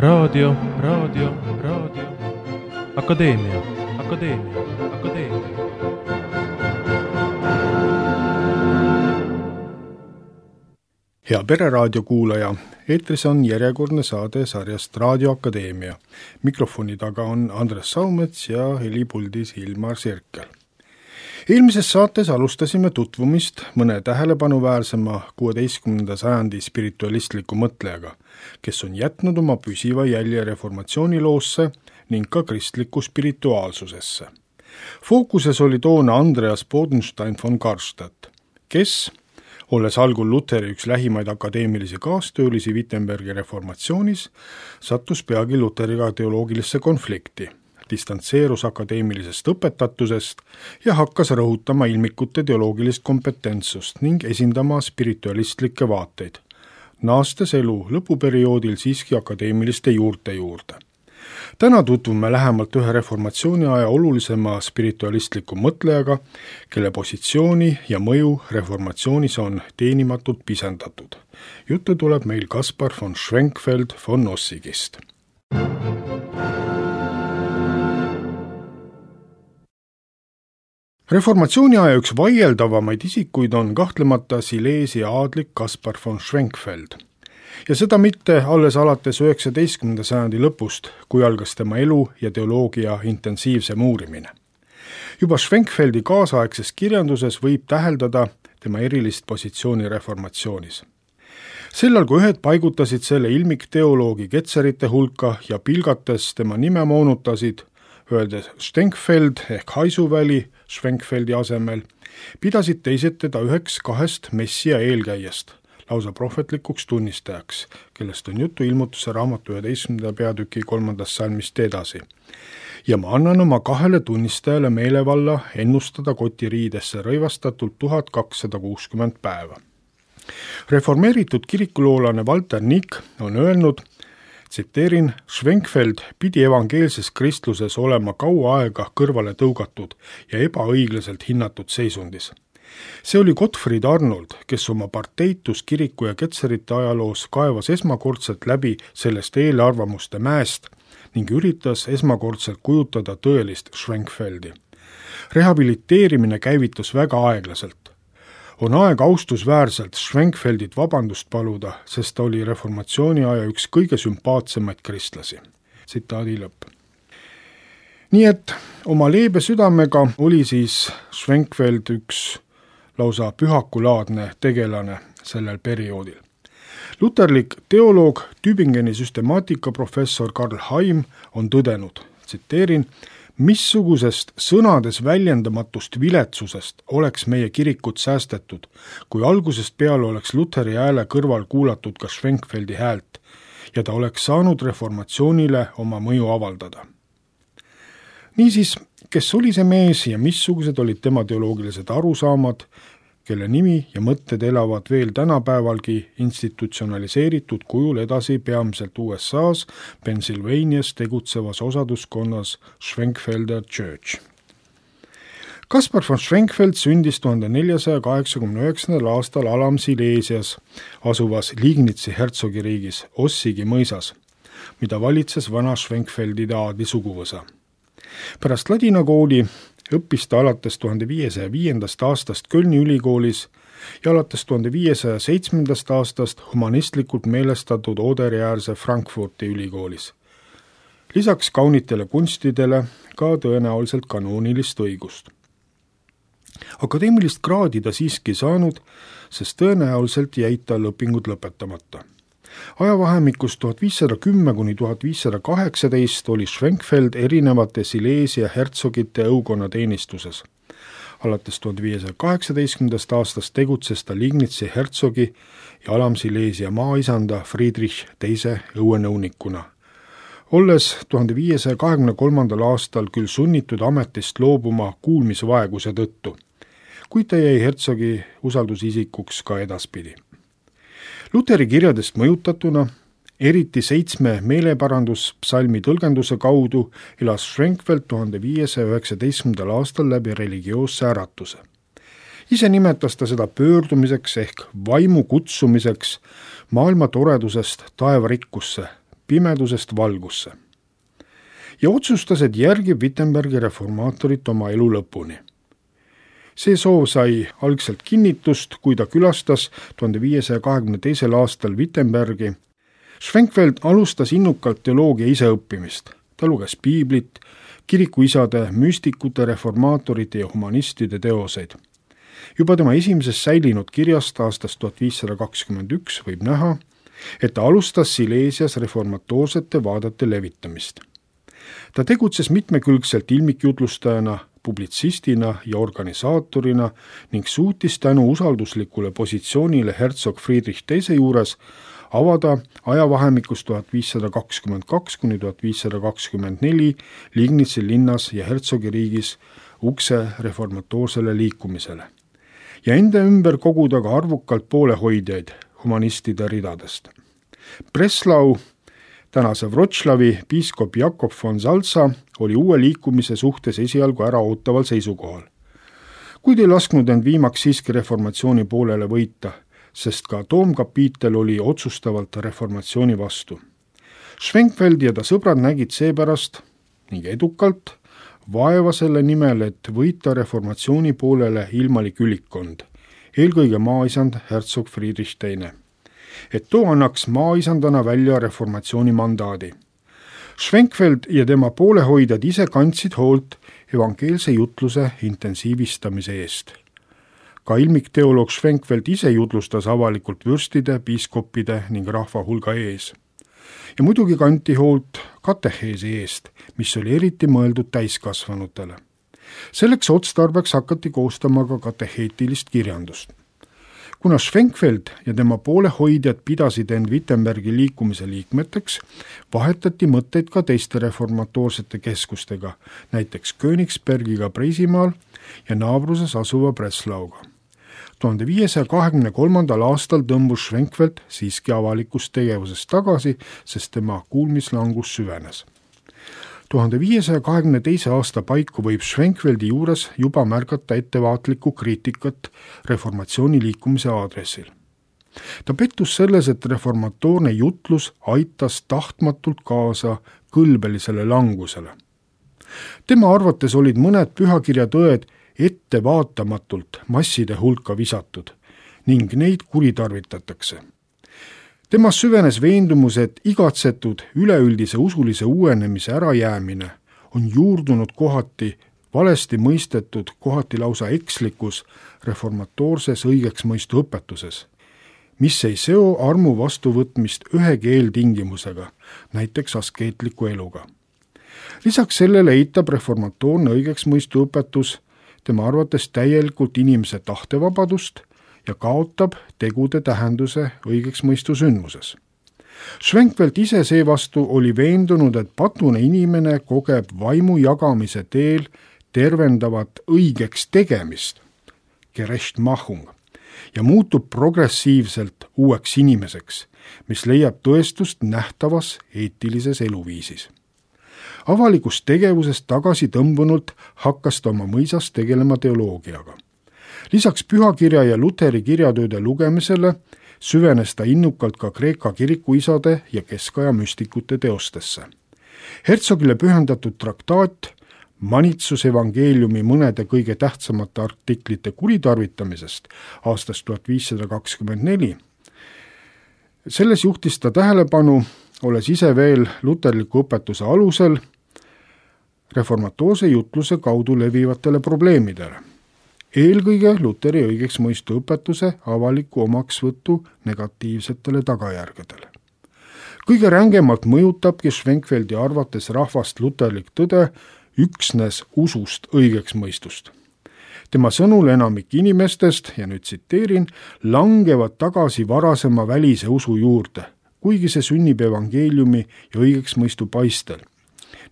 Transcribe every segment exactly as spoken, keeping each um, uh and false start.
raadio, raadio, raadio, akadeemia, akadeemia, akadeemia. Hea Pereraadio kuulaja, eetris on järjekordne saade sarjast Raadio Akadeemia. Mikrofoni taga on Andres Saumets ja helipuldis Ilmar Sirkel. Eelmises saates alustasime tutvumist mõne tähelepanuväärsema kuueteistkümnenda sajandi spiritualistliku mõtlejaga, kes on jätnud oma püsiva jälje reformatsiooniloosse ning ka kristliku spirituaalsusesse. Fookuses oli toona Andreas Bodenstein von Karstadt, kes, olles algul Luteri üks lähimaid akadeemilisi kaastöölisi Wittenbergi reformatsioonis, sattus peagi Luteriga teoloogilisse konflikti, distantseerus akadeemilisest õpetatusest ja hakkas rõhutama ilmikute teoloogilist kompetentsust ning esindama spiritualistlikke vaateid, naastes elu lõpuperioodil siiski akadeemiliste juurte juurde. Täna tutvume lähemalt ühe reformatsiooni aja olulisema spiritualistliku mõtlejaga, kelle positsiooni ja mõju reformatsioonis on teenimatult pisendatud. Juttu tuleb meil Kaspar von Schwenkfeld von Ossigist. Reformatsiooni aja üks vaieldavamaid isikuid on kahtlemata Silesia aadlik Kaspar von Schwenkfeld. Ja seda mitte alles alates üheksateistkümnenda sajandi lõpust, kui algas tema elu ja teoloogia intensiivsem uurimine. Juba Schwenkfeldi kaasaegses kirjanduses võib täheldada tema erilist positsiooni reformatsioonis. Sellal, kui ühed paigutasid selle ilmikteoloogi ketserite hulka ja pilgates tema nime moonutasid, öeldes Stenkfeld ehk Haisuväli Schwenkfeldi asemel, pidasid teised teda üheks kahest messia eelkäijast, lausa prohvetlikuks tunnistajaks, kellest on juttu Ilmutuse raamatu üheteistkümnenda peatüki kolmandast salmist edasi. Ja ma annan oma kahele tunnistajale meelevalla ennustada kotiriidesse rõivastatult tuhat kakssada kuuskümmend päeva. Reformeeritud kirikuloolane Walter Nick on öelnud, tsiteerin, Schwenkfeld pidi evangeelses kristluses olema kaua aega kõrvale tõugatud ja ebaõiglaselt hinnatud seisundis. See oli Gottfried Arnold, kes oma parteitus kiriku ja ketserite ajaloos kaevas esmakordselt läbi sellest eelarvamuste mäest ning üritas esmakordselt kujutada tõelist Schwenkfeldi. Rehabiliteerimine käivitus väga aeglaselt. On aeg austusväärselt Schwenkfeldit vabandust paluda, sest ta oli reformatsiooni aja üks kõige sümpaatsemaid kristlasi. Tsitaadi lõpp. Nii et oma leebe südamega oli siis Schwenkfeld üks lausa pühakulaadne tegelane sellel perioodil. Luterlik teoloog Tübingeni süstemaatikaprofessor Karl Haim on tõdenud, tsiteerin, missugusest sõnades väljendamatust viletsusest oleks meie kirikut säästetud, kui algusest peale oleks Luteri hääle kõrval kuulatud ka Schwenkfeldi häält ja ta oleks saanud reformatsioonile oma mõju avaldada. Niisiis, kes oli see mees ja missugused olid tema teoloogilised arusaamad, kelle nimi ja mõtted elavad veel tänapäevalgi institutsionaliseeritud kujul edasi peamiselt U S A-s Pennsylvanias tegutsevas osaduskonnas Schwenkfelder Church. Kaspar von Schwenkfeld sündis tuhande neljasaja kaheksakümne üheksandal aastal Alam-Silesias asuvas Liegnitsi hertsogiriigis Ossigi mõisas, mida valitses vana Schwenkfeldide aadli suguvõsa. Pärast ladinakooli õppis ta alates tuhande viiesaja viiendast aastast Kölni ülikoolis ja alates tuhande viiesaja seitsmendast aastast humanistlikult meelestatud Oderi-äärse Frankfurti ülikoolis. Lisaks kaunitele kunstidele ka tõenäoliselt kanoonilist õigust. Akadeemilist kraadi ta siiski saanud, sest tõenäoliselt jäid tal õpingud lõpetamata. Ajavahemikus tuhat viissada kümme kuni tuhat viissada kaheksateist oli Schwenkfeld erinevate Silesia hertsogite õukonna teenistuses. Alates tuhande viiesaja kaheksateistkümnendast aastast tegutses ta Liegnitsi hertsogi ja Alam-Silesia maaisanda Friedrich teise õuenõunikuna. Olles tuhande viiesaja kahekümne kolmandal aastal küll sunnitud ametist loobuma kuulmisvaeguse tõttu, kuid ta jäi hertsogi usaldusisikuks ka edaspidi. Luteri kirjadest mõjutatuna, eriti seitsme meeleparanduspsalmi tõlgenduse kaudu, elas Schwenkfeld tuhande viiesaja üheksateistkümnendal aastal läbi religioosse äratuse. Ise nimetas ta seda pöördumiseks ehk vaimu kutsumiseks maailma toredusest taevarikkusse, pimedusest valgusse. Ja otsustas, et järgib Wittenbergi reformaatorit oma elu lõpuni. See soov sai algselt kinnitust, kui ta külastas tuhande viiesaja kahekümne teisel aastal Wittenbergi. Schwenkfeld alustas innukalt teoloogia iseõppimist. Ta luges piiblit, kirikuisade, müstikute, reformaatorite ja humanistide teoseid. Juba tema esimeses säilinud kirjast aastast tuhat viissada kakskümmend üks võib näha, et ta alustas Sileesias reformatoorsete vaadete levitamist. Ta tegutses mitmekülgselt ilmikjutlustajana, publitsistina ja organisaatorina ning suutis tänu usalduslikule positsioonile hersog Friedrich teise juures avada ajavahemikus tuhat viissada kakskümmend kaks kuni tuhat viissada kakskümmend neli Liegnitsi linnas ja hersogiriigis ukse reformatoorsele liikumisele ja enda ümber koguda ka arvukalt poolehoidjaid humanistide ridadest. Breslau, tänase Wroclawi piiskop Jakob von Salza oli uue liikumise suhtes esialgu äraootaval seisukohal. Kuid ei lasknud end viimaks siiski reformatsiooni poolele võita, sest ka toomkapiitel oli otsustavalt reformatsiooni vastu. Schwenkfeld ja ta sõbrad nägid seepärast ning edukalt vaeva selle nimel, et võita reformatsiooni poolele ilmalik ülikkond, eelkõige maaisand hersog Friedrich teine. Et too annaks maaisandana välja reformatsiooni mandaadi. Schwenkfeld ja tema poolehoidjad ise kandsid hoolt evangeelse jutluse intensiivistamise eest. Ka ilmikteoloog Schwenkfeld ise jutlustas avalikult vürstide, piiskoppide ning rahva hulga ees. Ja muidugi kanti hoolt kateheesi eest, mis oli eriti mõeldud täiskasvanutele. Selleks otstarbeks hakati koostama ka kateheetilist kirjandust. Kuna Schwenkfeld ja tema poolehoidjad pidasid end Wittenbergi liikumise liikmeteks, vahetati mõtteid ka teiste reformatoorsete keskustega, näiteks Königsbergiga Preisimaal ja naabruses asuva Breslauga. tuhande viiesaja kahekümne kolmandal aastal tõmbus Schwenkfeld siiski avalikust tegevusest tagasi, sest tema kuulmislangus süvenes. tuhande viiesaja kahekümne teise aasta paiku võib Schwenkfeldi juures juba märgata ettevaatlikku kriitikat reformatsiooni liikumise aadressil. Ta pettus selles, et reformatoorne jutlus aitas tahtmatult kaasa kõlbelisele langusele. Tema arvates olid mõned pühakirja tõed ettevaatamatult masside hulka visatud ning neid kuritarvitatakse. Temas süvenes veendumus, et igatsetud üleüldise usulise uuenemise ärajäämine on juurdunud kohati valesti mõistetud, kohati lausa ekslikus reformatoorses õigeksmõistu õpetuses, mis ei seo armu vastuvõtmist ühegi eeltingimusega, näiteks askeetliku eluga. Lisaks sellele eitab reformatoorne õigeksmõistu õpetus tema arvates täielikult inimese tahtevabadust ja kaotab tegude tähenduse õigeksmõistu sündmuses. Schwenkfeld ise seevastu oli veendunud, et patune inimene kogeb vaimu jagamise teel tervendavat õigeks tegemist, Gerechtmachung, ja muutub progressiivselt uueks inimeseks, mis leiab tõestust nähtavas eetilises eluviisis. Avalikust tegevusest tagasi tõmbunult hakkas ta oma mõisas tegelema teoloogiaga. Lisaks pühakirja ja Luteri kirjatööde lugemisele süvenes ta innukalt ka Kreeka kirikuisade ja keskaja müstikute teostesse. Herzogile pühendatud traktaat Manitsus evangeeliumi mõnede kõige tähtsamate artiklite kuritarvitamisest aastast tuhat viissada kakskümmend neli. Selles juhtis ta tähelepanu, olles ise veel luterliku õpetuse alusel, reformatoorse jutluse kaudu levivatele probleemidele. Eelkõige Luteri õigeksmõistu õpetuse avaliku omaksvõtu negatiivsetele tagajärgedele. Kõige rängemalt mõjutabki Schwenkfeldi arvates rahvast luterlik tõde üksnes usust õigeksmõistust. Tema sõnul enamik inimestest, ja nüüd tsiteerin, langevad tagasi varasema välise usu juurde, kuigi see sünnib evangeeliumi ja õigeksmõistu paistel,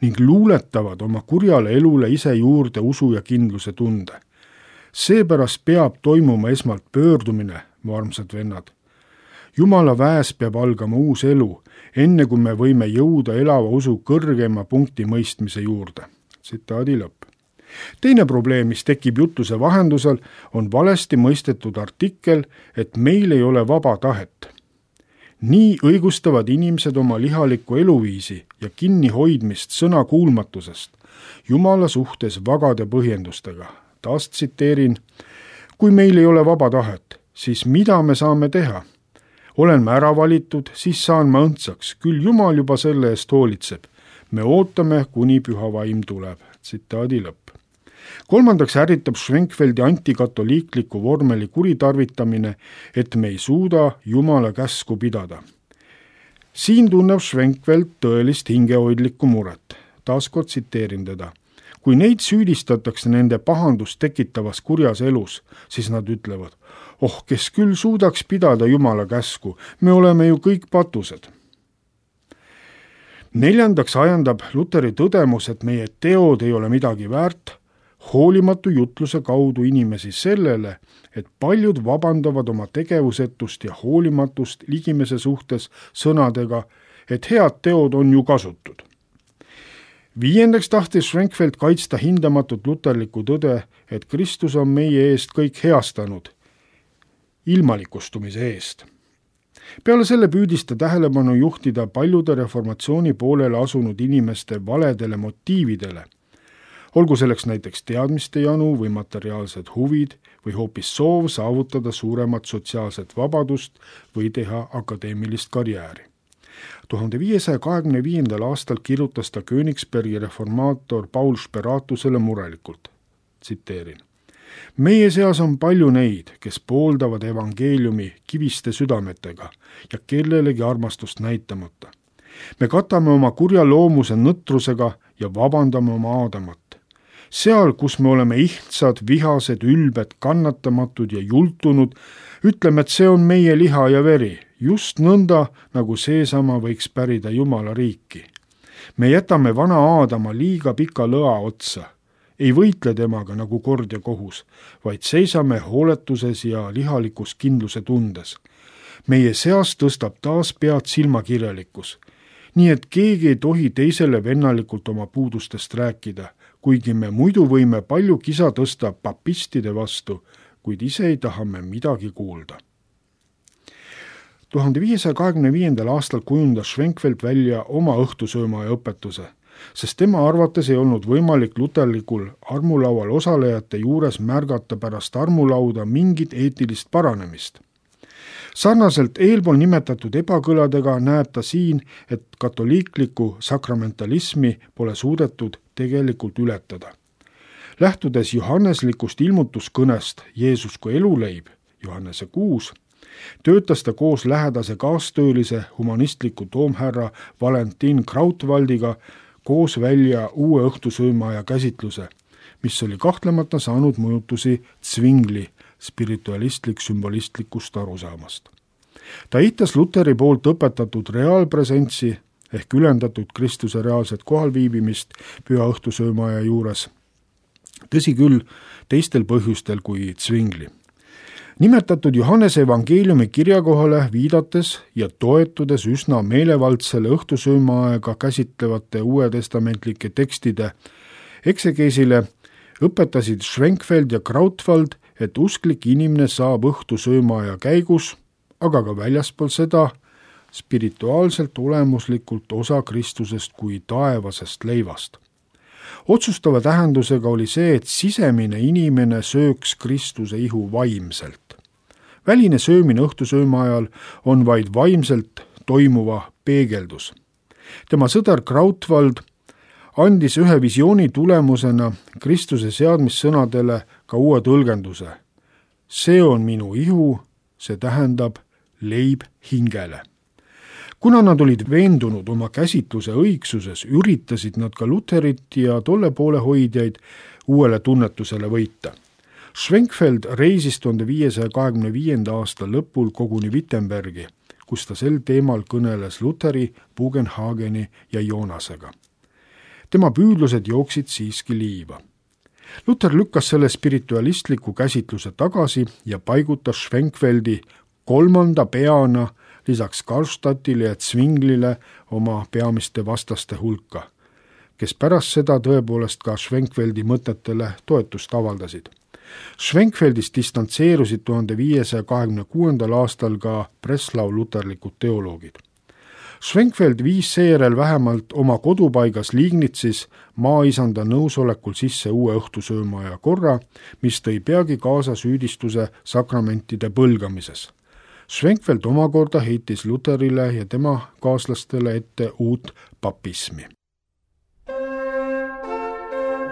ning luuletavad oma kurjale elule ise juurde usu ja kindluse tunde. Seepärast peab toimuma esmalt pöördumine, mu armsad vennad. Jumala väes peab algama uus elu, enne kui me võime jõuda elava usu kõrgema punkti mõistmise juurde. Tsitaadi lõpp. Teine probleem, mis tekib jutluse vahendusel, on valesti mõistetud artikkel, et meil ei ole vaba tahet. nii õigustavad inimesed oma lihalikku eluviisi ja kinnihoidmist sõna kuulmatusest Jumala suhtes vagade põhjendustega. Taas tsiteerin: kui meil ei ole vaba tahet, siis mida me saame teha? Olen ma ära valitud, siis saan ma õndsaks, küll Jumal juba selle eest hoolitseb. Me ootame, kuni püha vaim tuleb. Tsitaadi lõpp. Kolmandaks ärritab Schwenkfeldi antikatoliikliku vormeli kuritarvitamine, et me ei suuda Jumala käsku pidada. Siin tunneb Schwenkfeld tõelist hingehoidlikku muret. Taaskord tsiteerin teda. Kui neid süüdistatakse nende pahandust tekitavas kurjas elus, siis nad ütlevad: oh, kes küll suudaks pidada Jumala käsku, me oleme ju kõik patused. Neljandaks ajandab Luteri tõdemus, et meie teod ei ole midagi väärt, hoolimatu jutluse kaudu inimesi sellele, et paljud vabandavad oma tegevusetust ja hoolimatust ligimese suhtes sõnadega, et head teod on ju kasutud. Viiendaks tahtis Schwenkfeld kaitsta hindamatut luterlikku tõde, et Kristus on meie eest kõik heastanud, ilmalikustumise eest. Peale selle püüdis ta tähelepanu juhtida paljude reformatsiooni poolele asunud inimeste valedele motiividele, olgu selleks näiteks teadmiste janu või materiaalsed huvid või hoopis soov saavutada suuremat sotsiaalset vabadust või teha akadeemilist karjääri. tuhande viiesaja kahekümne viiendal aastal kirjutas ta Königsbergi reformaator Paul Speratusele murelikult, tsiteerin: meie seas on palju neid, kes pooldavad evangeeliumi kiviste südametega ja kellelegi armastust näitamata. Me katame oma kurja loomuse nõtrusega ja vabandame oma aadamat. Seal, kus me oleme ihtsad, vihased, ülbed, kannatamatud ja jultunud, ütleme, et see on meie liha ja veri, just nõnda, nagu seesama võiks pärida Jumala riiki. Me jätame vana Aadama liiga pika lõa otsa, ei võitle temaga nagu kord ja kohus, vaid seisame hooletuses ja lihalikus kindluse tundes. Meie seas tõstab taas pead silmakirjalikkus, nii et keegi ei tohi teisele vennalikult oma puudustest rääkida, kuigi me muidu võime palju kisa tõsta papistide vastu, kuid ise ei taha me midagi kuulda. tuhande viiesaja kahekümne viiendal aastal kujundas Schwenkfeld välja oma õhtusöömaja õpetuse, sest tema arvates ei olnud võimalik luterlikul armulaual osalejate juures märgata pärast armulauda mingit eetilist paranemist. Sarnaselt eelpool nimetatud ebakõladega näeb ta siin, et katoliiklikku sakramentalismi pole suudetud tegelikult ületada. Lähtudes johanneslikust ilmutuskõnest Jeesus kui eluleib, Johannese kuus, töötas ta koos lähedase kaastöölise humanistliku toomhärra Valentin Krautwaldiga koos välja uue õhtusöömaja käsitluse, mis oli kahtlemata saanud mõjutusi Zwingli spiritualistlik-sümbolistlikust arusaamast. Ta eitas Luteri poolt õpetatud reaalpresentsi ehk ülendatud Kristuse reaalset kohalviibimist püha õhtusöömaja juures. Tõsi küll, teistel põhjustel kui Zwingli. Nimetatud Johannese evangeeliumi kirjakohale viidates ja toetudes üsna meelevaldsele õhtusöömaaega käsitlevate uuetestamentlike tekstide eksegeesile õpetasid Schwenkfeld ja Krautwald, et usklik inimene saab õhtusöömaaja käigus, aga ka väljaspool seda, spirituaalselt olemuslikult osa Kristusest kui taevasest leivast. Otsustava tähendusega oli see, et sisemine inimene sööks Kristuse ihu vaimselt. Väline söömine õhtusööma ajal on vaid vaimselt toimuva peegeldus. Tema sõder Krautwald andis ühe visiooni tulemusena Kristuse seadmissõnadele ka uue tõlgenduse. See on minu ihu, see tähendab leib hingele. Kuna nad olid veendunud oma käsitluse õigsuses, üritasid nad ka Luterit ja tolle poole hoidjaid uuele tunnetusele võita. Schwenkfeld reisis tuhande viiesaja kahekümne viienda aasta lõpul koguni Wittenbergi, kus ta sel teemal kõneles Luteri, Bugenhageni ja Jonasega. Tema püüdlused jooksid siiski liiva. Luter lükkas selle spiritualistliku käsitluse tagasi ja paigutas Schwenkfeldi kolmanda peana lisaks Karlstadtile ja Zwinglile oma peamiste vastaste hulka, kes pärast seda tõepoolest ka Schwenkfeldi mõtetele toetust avaldasid. Schwenkfeldist distantseerusid tuhande viiesaja kahekümne kuuendal aastal ka Breslau luterlikud teoloogid. Schwenkfeld viis seejärel vähemalt oma kodupaigas Liegnitsis maaisanda nõusolekul sisse uue õhtusöömaja korra, mis tõi peagi kaasa süüdistuse sakramentide põlgamises. Schwenkfeld omakorda heitis Lutherile ja tema kaaslastele ette uut papismi.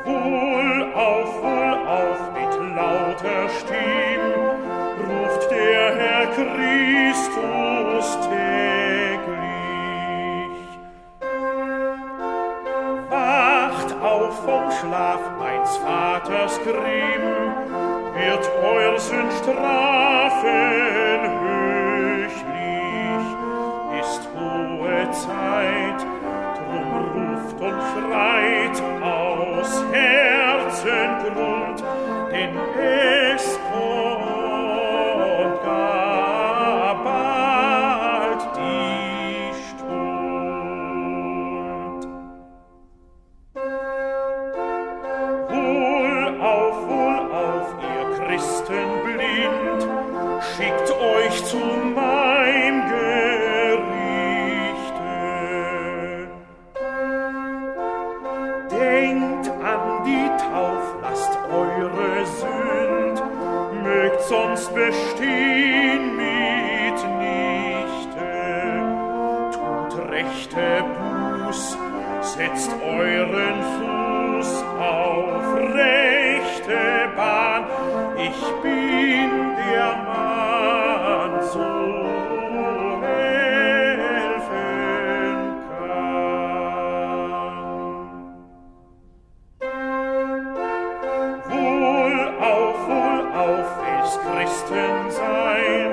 Wohl auf, wohl auf mit lauter Stimm ruft der Herr Christus täglich. Wacht auf vom Schlaf, meins Vaters Grimm, wird euer Sünd strafen höchlich. Ist hohe Zeit, drum ruft und schreit aus Herzengrund, denn es kommt gar bald die Stund. Wohl auf, wohl auf, ihr Christen blind, schickt euch zu meinem Gerichte. Denkt an die Tauf, lasst eure Sünd, mögt sonst bestehen mitnichte. Tut rechte Buß, setzt euren Fuß auf rechte Bahn. Ich bin der Mann, so helfen kann. Wohl auf, wohl auf, will's Christen sein,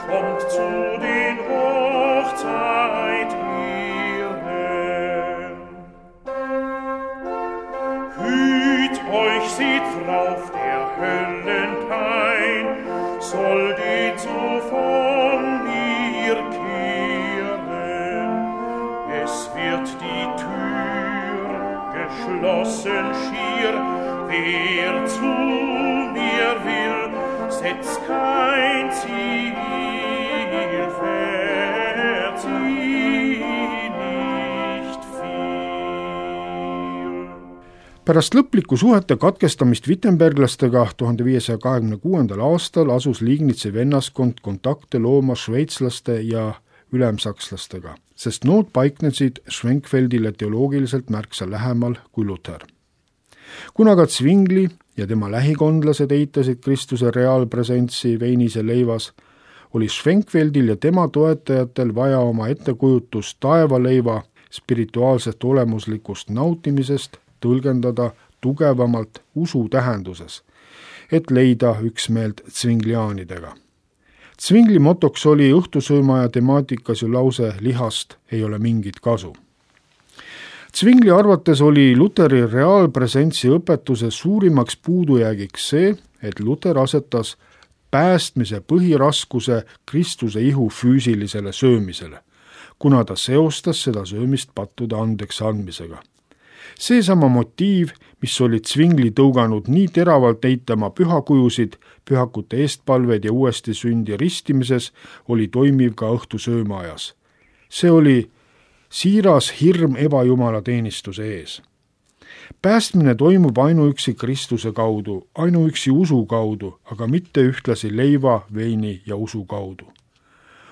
kommt zu den Hochzeit ihren. Hüt euch, seht drauf, der Höllenpein soll den so von mir kehren. Es wird die Tür geschlossen schier, wer zu mir will, setzt kein Ziel, verzieh nicht viel. Pärast lõplikku suhete katkestamist Wittenberglastega tuhande viiesaja kahekümne kuuendal aastal asus Liegnitsi vennaskond kontakte looma šveitslaste ja ülemsakslastega, sest nood paiknesid Schwenkfeldile teoloogiliselt märksa lähemal kui Luther. Kuna ka Zwingli ja tema lähikondlased eitasid Kristuse reaalpresentsi veinis ja leivas, oli Schwenkfeldil ja tema toetajatel vaja oma ettekujutust taevaleiva spirituaalsest olemuslikust nautimisest tõlgendada tugevamalt usu tähenduses, et leida üksmeelt zwingliaanidega. Zwingli motoks oli õhtusöömaja temaatikas ju lause lihast ei ole mingit kasu. Zwingli arvates oli Luteri reaalpresentsi õpetuse suurimaks puudujäägiks see, et Luter asetas päästmise põhiraskuse Kristuse ihu füüsilisele söömisele, kuna ta seostas seda söömist pattude andeks andmisega. Seesama motiiv, mis oli Zwingli tõuganud nii teravalt eitama pühakujusid, pühakute eestpalved ja uuesti sündi ristimises, oli toimiv ka õhtusöömaajas. See oli siiras hirm ebajumala teenistuse ees. Päästmine toimub ainuüksi Kristuse kaudu, ainuüksi usu kaudu, aga mitte ühtlasi leiva, veini ja usu kaudu.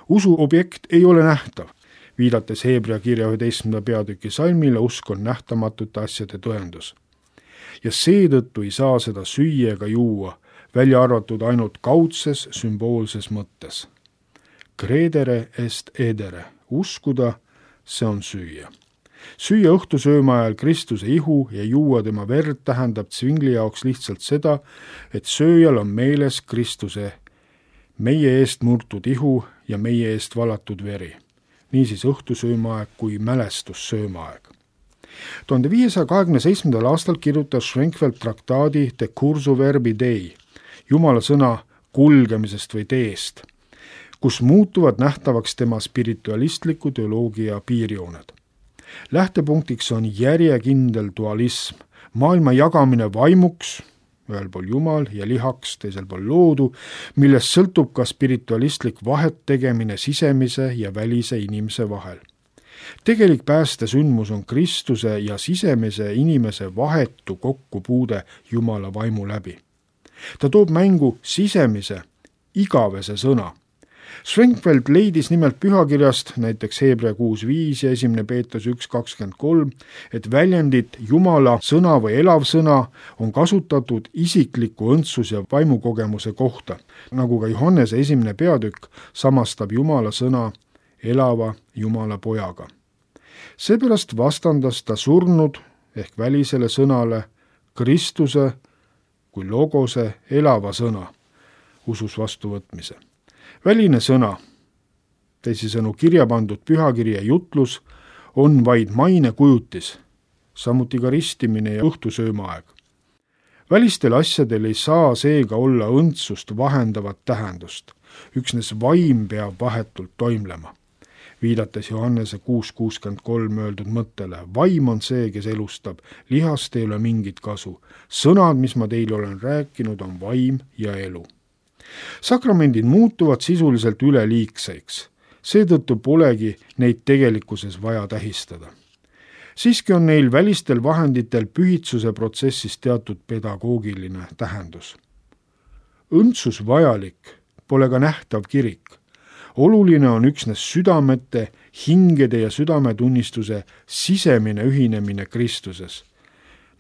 Usu objekt ei ole nähtav, viidates Heebrea kirja üheteistkümnenda peatüki salmile, usk on nähtamatute asjade tõendus. Ja seetõttu ei saa seda süüa ega juua, välja arvatud ainult kaudses, sümboolses mõttes. Credere est edere, uskuda, see on süüa. Süüa õhtusööma ajal Kristuse ihu ja juua tema verd tähendab Zwingli jaoks lihtsalt seda, et sööjal on meeles Kristuse meie eest murtud ihu ja meie eest valatud veri. Niisiis õhtusöömaaeg kui mälestussöömaaeg. tuhande viiesaja kahekümne seitsmendal aastal kirjutas Schwenkfeld traktaadi De cursu verbi Dei, Jumala sõna kulgemisest või teest, kus muutuvad nähtavaks tema spiritualistliku teoloogia piirjooned. Lähtepunktiks on järjekindel dualism, maailma jagamine vaimuks, ühel pool Jumal ja lihaks, teisel pool loodu, millest sõltub ka spiritualistlik vahet tegemine sisemise ja välise inimese vahel. Tegelik päästesündmus on Kristuse ja sisemise inimese vahetu kokkupuude Jumala vaimu läbi. Ta toob mängu sisemise, igavese sõna. Schwenkfeld leidis nimelt pühakirjast, näiteks Hebra kuus viis ja esimene Peetrus üks kakskümmend kolm, et väljendit Jumala sõna või elav sõna on kasutatud isikliku õndsus- ja vaimukogemuse kohta, nagu ka Johannese esimene peatükk samastab Jumala sõna elava Jumala pojaga. Seepärast vastandas ta surnud ehk välisele sõnale Kristuse kui logose elava sõna usus vastuvõtmise. Väline sõna, teisisõnu kirja pandud pühakirja jutlus, on vaid maine kujutis, samuti ka ristimine ja õhtusöömaaeg. Välistel asjadel ei saa seega olla õndsust vahendavat tähendust, üksnes vaim peab vahetult toimlema. Viidates Johannese kuus kuuskümmend kolm öeldud mõttele, vaim on see, kes elustab, lihast ei ole mingit kasu. Sõnad, mis ma teile olen rääkinud, on vaim ja elu. Sakramendid muutuvad sisuliselt üleliigseks, seetõttu polegi neid tegelikkuses vaja tähistada. Siiski on neil välistel vahenditel pühitsuse protsessis teatud pedagoogiline tähendus. Õndsus vajalik pole ka nähtav kirik. Oluline on üksnes südamete, hingede ja südametunnistuse sisemine ühinemine Kristuses.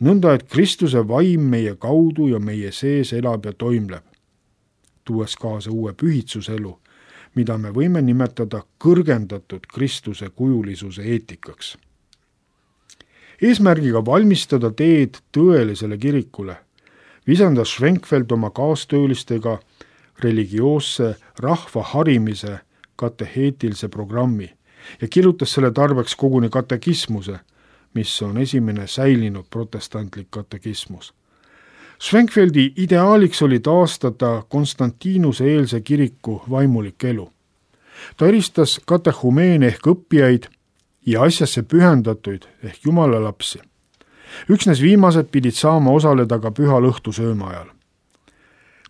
Nõnda, et Kristuse vaim meie kaudu ja meie sees elab ja toimleb, tuues kaasa uue pühitsuselu, mida me võime nimetada kõrgendatud Kristuse kujulisuse eetikaks. Eesmärgiga valmistada teed tõelisele kirikule visandas Schwenkfeld oma kaastöölistega religioosse rahva harimise kateheetilise programmi ja kirjutas selle tarbeks koguni katekismuse, mis on esimene säilinud protestantlik katekismus. Schwenkfeldi ideaaliks oli taastada Konstantinuse eelse kiriku vaimulik elu. Ta eristas katehumeene ehk õppijaid ja asjasse pühendatuid ehk Jumala lapsi. Üksnes viimased pidid saama osaleda ka pühal õhtusööma ajal.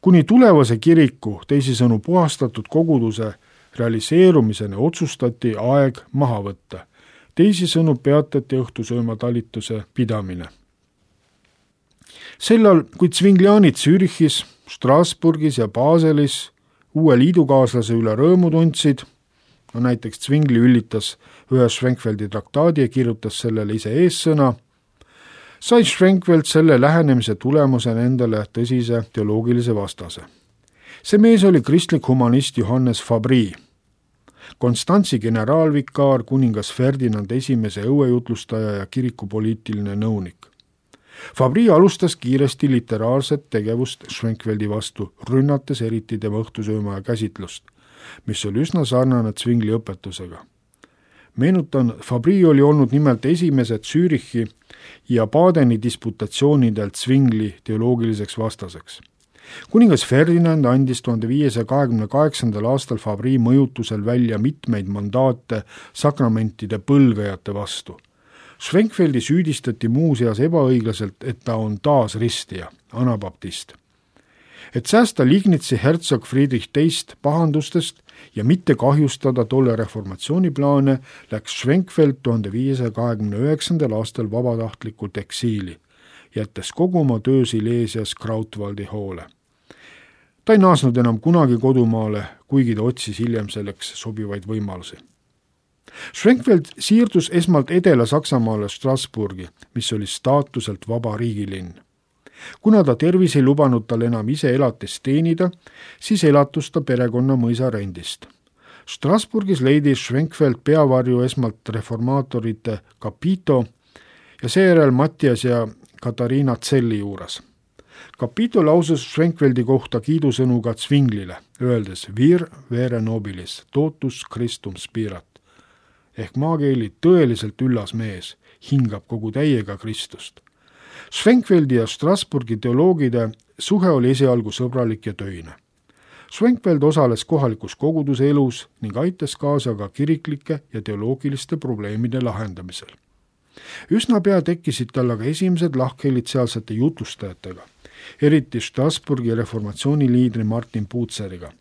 Kuni tulevase kiriku, teisisõnu puhastatud koguduse realiseerumiseni otsustati aeg maha võtta. Teisisõnu peatati õhtusööma talituse pidamine. Sellal, kui Zwinglianid Zürichis, Strasbourgis ja Baselis uue liidukaaslase üle rõõmu tundsid, no näiteks Zwingli üllitas ühe Schwenkfeldi traktaadi ja kirjutas sellele ise eessõna, sai Schwenkfeld selle lähenemise tulemusena endale tõsise teoloogilise vastase. See mees oli kristlik humanist Johannes Fabri, Konstantsi generaalvikaar, kuningas Ferdinand esimese õuejutlustaja ja kirikupoliitiline nõunik. Fabri alustas kiiresti literaarset tegevust Schwenkfeldi vastu, rünnates eriti tema õhtusöömaja käsitlust, mis oli üsna sarnane Zwingli õpetusega. Meenutan, Fabri oli olnud nimelt esimesed Zürichi ja Badeni disputatsioonidelt Zwingli teoloogiliseks vastaseks. Kuningas Ferdinand andis tuhande viiesaja kahekümne kaheksandal aastal Fabri mõjutusel välja mitmeid mandaate sakramentide põlgajate vastu. Schwenkfeldi süüdistati muuseas ebaõiglaselt, et ta on taas ristija, anabaptist. Et säästa Liegnitsi hertsog Friedrich teist pahandustest ja mitte kahjustada tolle reformatsiooniplaane, läks Schwenkfeld tuhande viiesaja kahekümne üheksandal aastal vabatahtlikult eksiili, jättes kogu oma töö Silesias Krautwaldi hoole. Ta ei naasnud enam kunagi kodumaale, kuigi ta otsis hiljem selleks sobivaid võimalusi. Schwenkfeld siirdus esmalt Edela-Saksamaale Strasbourgi, mis oli staatuselt vaba riigilinn. Kuna ta tervis ei lubanud tal enam ise elatist teenida, siis elatus ta perekonna mõisa rendist. Strasbourgis leidis Schwenkfeld peavarju esmalt reformaatorite Capito ja seejärel Mattias ja Katariina Zelli juures. Capito lausus Schwenkfeldi kohta kiidusõnu ka Zwinglile, öeldes vir vere nobilis, totus Christum spirat, ehk maakeeli tõeliselt üllas mees, hingab kogu täiega Kristust. Schwenkfeldi ja Strasbourgi teoloogide suhe oli esialgu sõbralik ja töine. Schwenkfeld osales kohalikus koguduse elus ning aitas kaasa ka kiriklike ja teoloogiliste probleemide lahendamisel. Üsna pea tekkisid tal aga esimesed lahkhelid sealsete jutlustajatega eriti Strasbourgi reformatsiooniliidri Martin Buceriga.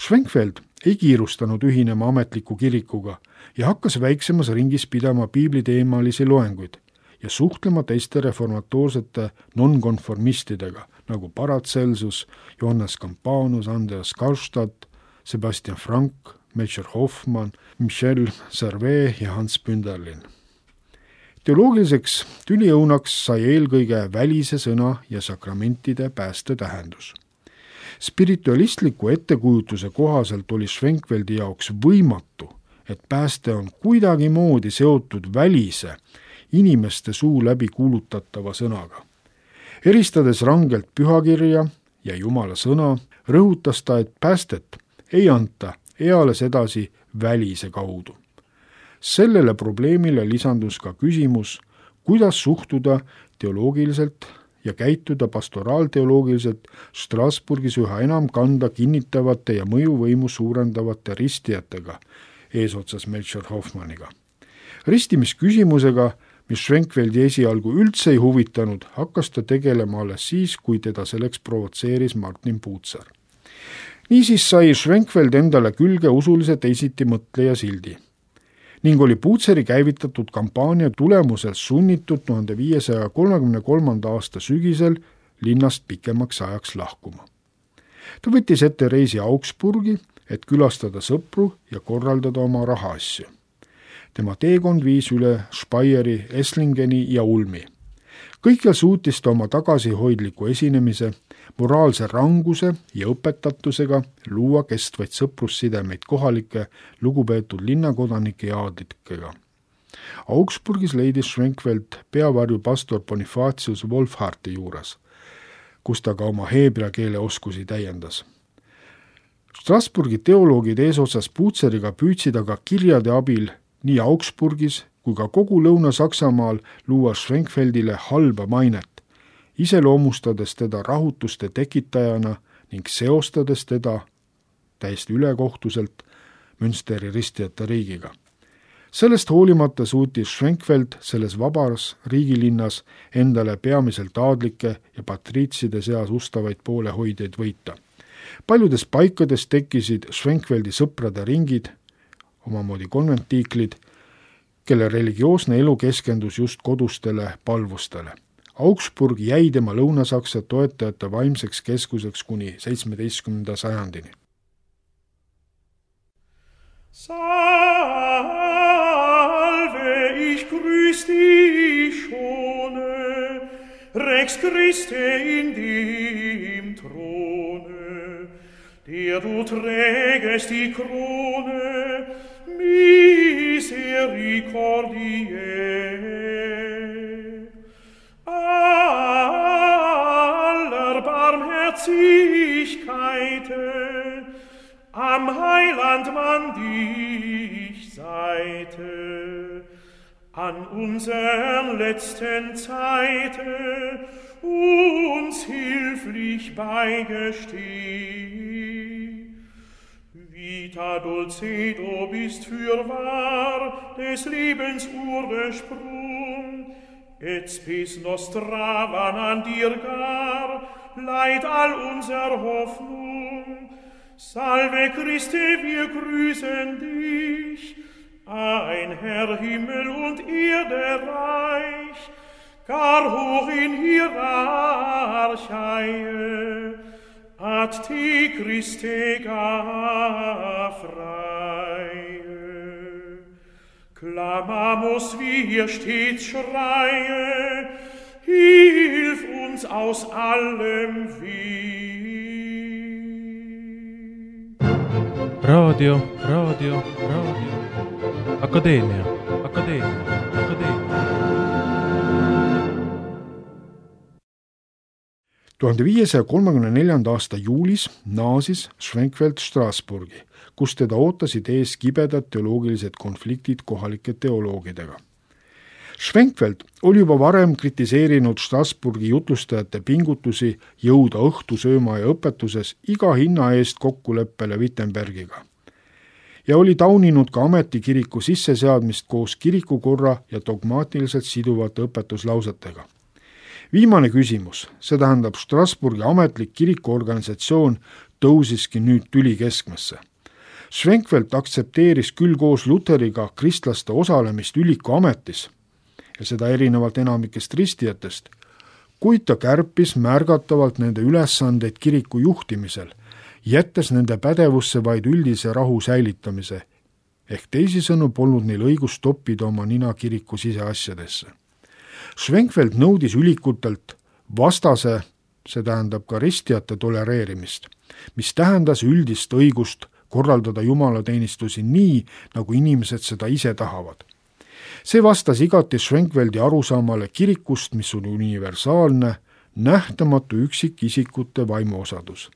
Schwenkfeld ei kiirustanud ühinema ametliku kirikuga ja hakkas väiksemas ringis pidama piibliteemalisi loenguid ja suhtlema teiste reformatoorsete nonkonformistidega nagu Paracelsus, Johannes Campanus, Andreas Karlstadt, Sebastian Frank, Major Hoffmann, Michel Servet ja Hans Bünderlin. Teoloogiliseks tüliõunaks sai eelkõige välise sõna ja sakramentide pääste tähendus. Spiritualistliku ettekujutuse kohaselt oli Schwenkfeldi jaoks võimatu, et pääste on kuidagi moodi seotud välise, inimeste suu läbi kuulutatava sõnaga. Eristades rangelt pühakirja ja Jumala sõna, rõhutas ta, et päästet ei anta eales edasi välise kaudu. Sellele probleemile lisandus ka küsimus, kuidas suhtuda teoloogiliselt ja käituda pastoraalteoloogiliselt Strasbourgis üha enam kanda kinnitavate ja mõjuvõimu suurendavate ristijatega, eesotsas Melchior Hoffmanniga. Ristimisküsimusega, mis Schwenkfeldi esialgu üldse ei huvitanud, hakkas ta tegelema alles siis, kui teda selleks provotseeris Martin Bucer. Niisiis sai Schwenkfeld endale külge usulise teisiti mõtleja sildi ning oli Buceri käivitatud kampaania tulemusel sunnitud tuhande viiesaja kolmekümne kolmanda aasta sügisel linnast pikemaks ajaks lahkuma. Ta võttis ette reisi Augsburgi, et külastada sõpru ja korraldada oma rahaasju. Tema teekond viis üle Speyeri, Esslingeni ja Ulmi. Kõikjal suutis ta oma tagasihoidliku esinemise, moraalse ranguse ja õpetatusega luua kestvaid sõprussidemeid kohalike lugupeetud linnakodanike ja aadlikega. Augsburgis leidis Schwenkfeld peavarju pastor Bonifatius Wolfharti juures, kus ta ka oma heebrea keele oskusi täiendas. Strasbourgi teoloogid eesotsas Buceriga püüdsid aga kirjade abil nii Augsburgis kui ka kogu Lõuna-Saksamaal luua Schwenkfeldile halba mainet, iseloomustades teda rahutuste tekitajana ning seostades teda täiesti ülekohtuselt Münsteri ristijate riigiga. Sellest hoolimata suutis Schwenkfeld selles vabas riigilinnas endale peamiselt aadlike ja patriitside seas ustavaid poolehoidjaid võita. Paljudes paikades tekkisid Schwenkfeldi sõprade ringid, omamoodi konventiiklid, kelle religioosne elu keskendus just kodustele palvustele. Augsburg jäi tema Lõuna-Saksa toetajate vaimseks keskuseks kuni seitsmeteistkümnenda sajandini. Salve, ich grüß dich schone, Rex Christe in dem Throne, der du trägest die Krone misericordiae. Aller Barmherzigkeiten am Heiland man dich Seite, an unsern letzten Zeiten uns hilflich beigesteh. Vita Dulcedo bist fürwahr des Lebens Ursprung, et spes nostra van an dir gar, leid all unser Hoffnung. Salve Christe, wir grüßen dich, ein Herr Himmel und Erde reich, gar hoch in Hierarchie, ad te Christe gafreie. Clamamos wir stets schreie, hilf uns aus allem Weh. Raadio, raadio, raadio. Akadeemia, akadeemia, akadeemia. tuhande viiesaja kolmekümne neljanda aasta juulis naasis Schwenkfeld Strasbourgi, kus teda ootasid ees kibedad teoloogilised konfliktid kohalike teoloogidega. Schwenkfeld oli juba varem kritiseerinud Strasbourgi jutlustajate pingutusi jõuda õhtusööma ja õpetuses iga hinna eest kokkuleppele Wittenbergiga ja oli tauninud ka ametikiriku sisseseadmist koos kirikukorra ja dogmaatiliselt siduvate õpetuslausetega. Viimane küsimus, see tähendab Strasbourgi ametlik kirikuorganisatsioon tõusiski nüüd tüli keskmesse. Schwenkfeld aktsepteeris küll koos Lutheriga kristlaste osalemist üliku ametis ja seda erinevalt enamikest ristijatest, kuid ta kärpis märgatavalt nende ülesandeid kiriku juhtimisel, jättes nende pädevusse vaid üldise rahu säilitamise, ehk teisisõnu polnud neil õigust toppida oma nina kiriku siseasjadesse. Schwenkfeld nõudis ülikutelt vastase, see tähendab ka ristijate tolereerimist, mis tähendas üldist õigust korraldada jumalateenistusi nii, nagu inimesed seda ise tahavad. See vastas igati Schwenkfeldi arusaamale kirikust, mis on universaalne, nähtamatu üksikisikute vaimuosadus.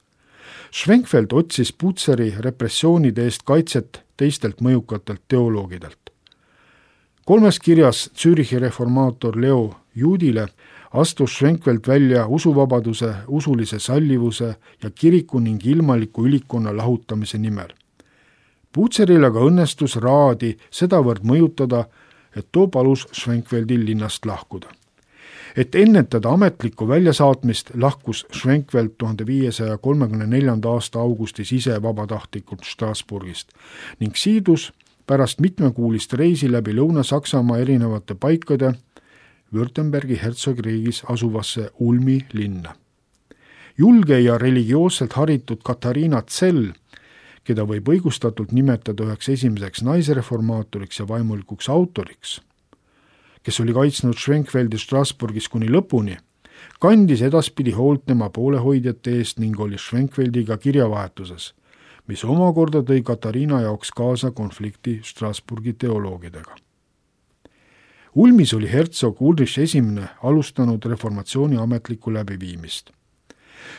Schwenkfeld otsis Buceri repressioonide eest kaitset teistelt mõjukatelt teoloogidelt. Kolmes kirjas Zürichi reformaator Leo Juudile astus Schwenkfeld välja usuvabaduse, usulise sallivuse ja kiriku ning ilmaliku ülikonna lahutamise nimel. Buceril aga õnnestus Raadi sedavõrd mõjutada, et too palus Schwenkfeldil linnast lahkuda. Et ennetada ametlikku väljasaatmist, lahkus Schwenkfeld tuhande viiesaja kolmekümne neljanda aasta augustis ise vabatahtlikult Strasbourgist ning siidus pärast mitmekuulist reisi läbi Lõuna-Saksamaa erinevate paikade Württembergi hertsogriigis asuvasse Ulmi linna. Julge ja religioosselt haritud Katariina Zell, keda võib õigustatult nimetada üheks esimeseks naisreformaatoriks ja vaimulikuks autoriks, kes oli kaitsnud Schwenkfeldi Strasbourgis kuni lõpuni, kandis edaspidi hoolt tema poolehoidjate eest ning oli Schwenkfeldiga kirjavahetuses, mis omakorda tõi Katariina jaoks kaasa konflikti Strasbourgi teoloogidega. Ulmis oli hertsog Ulrich esimene alustanud reformatsiooni ametlikku läbiviimist.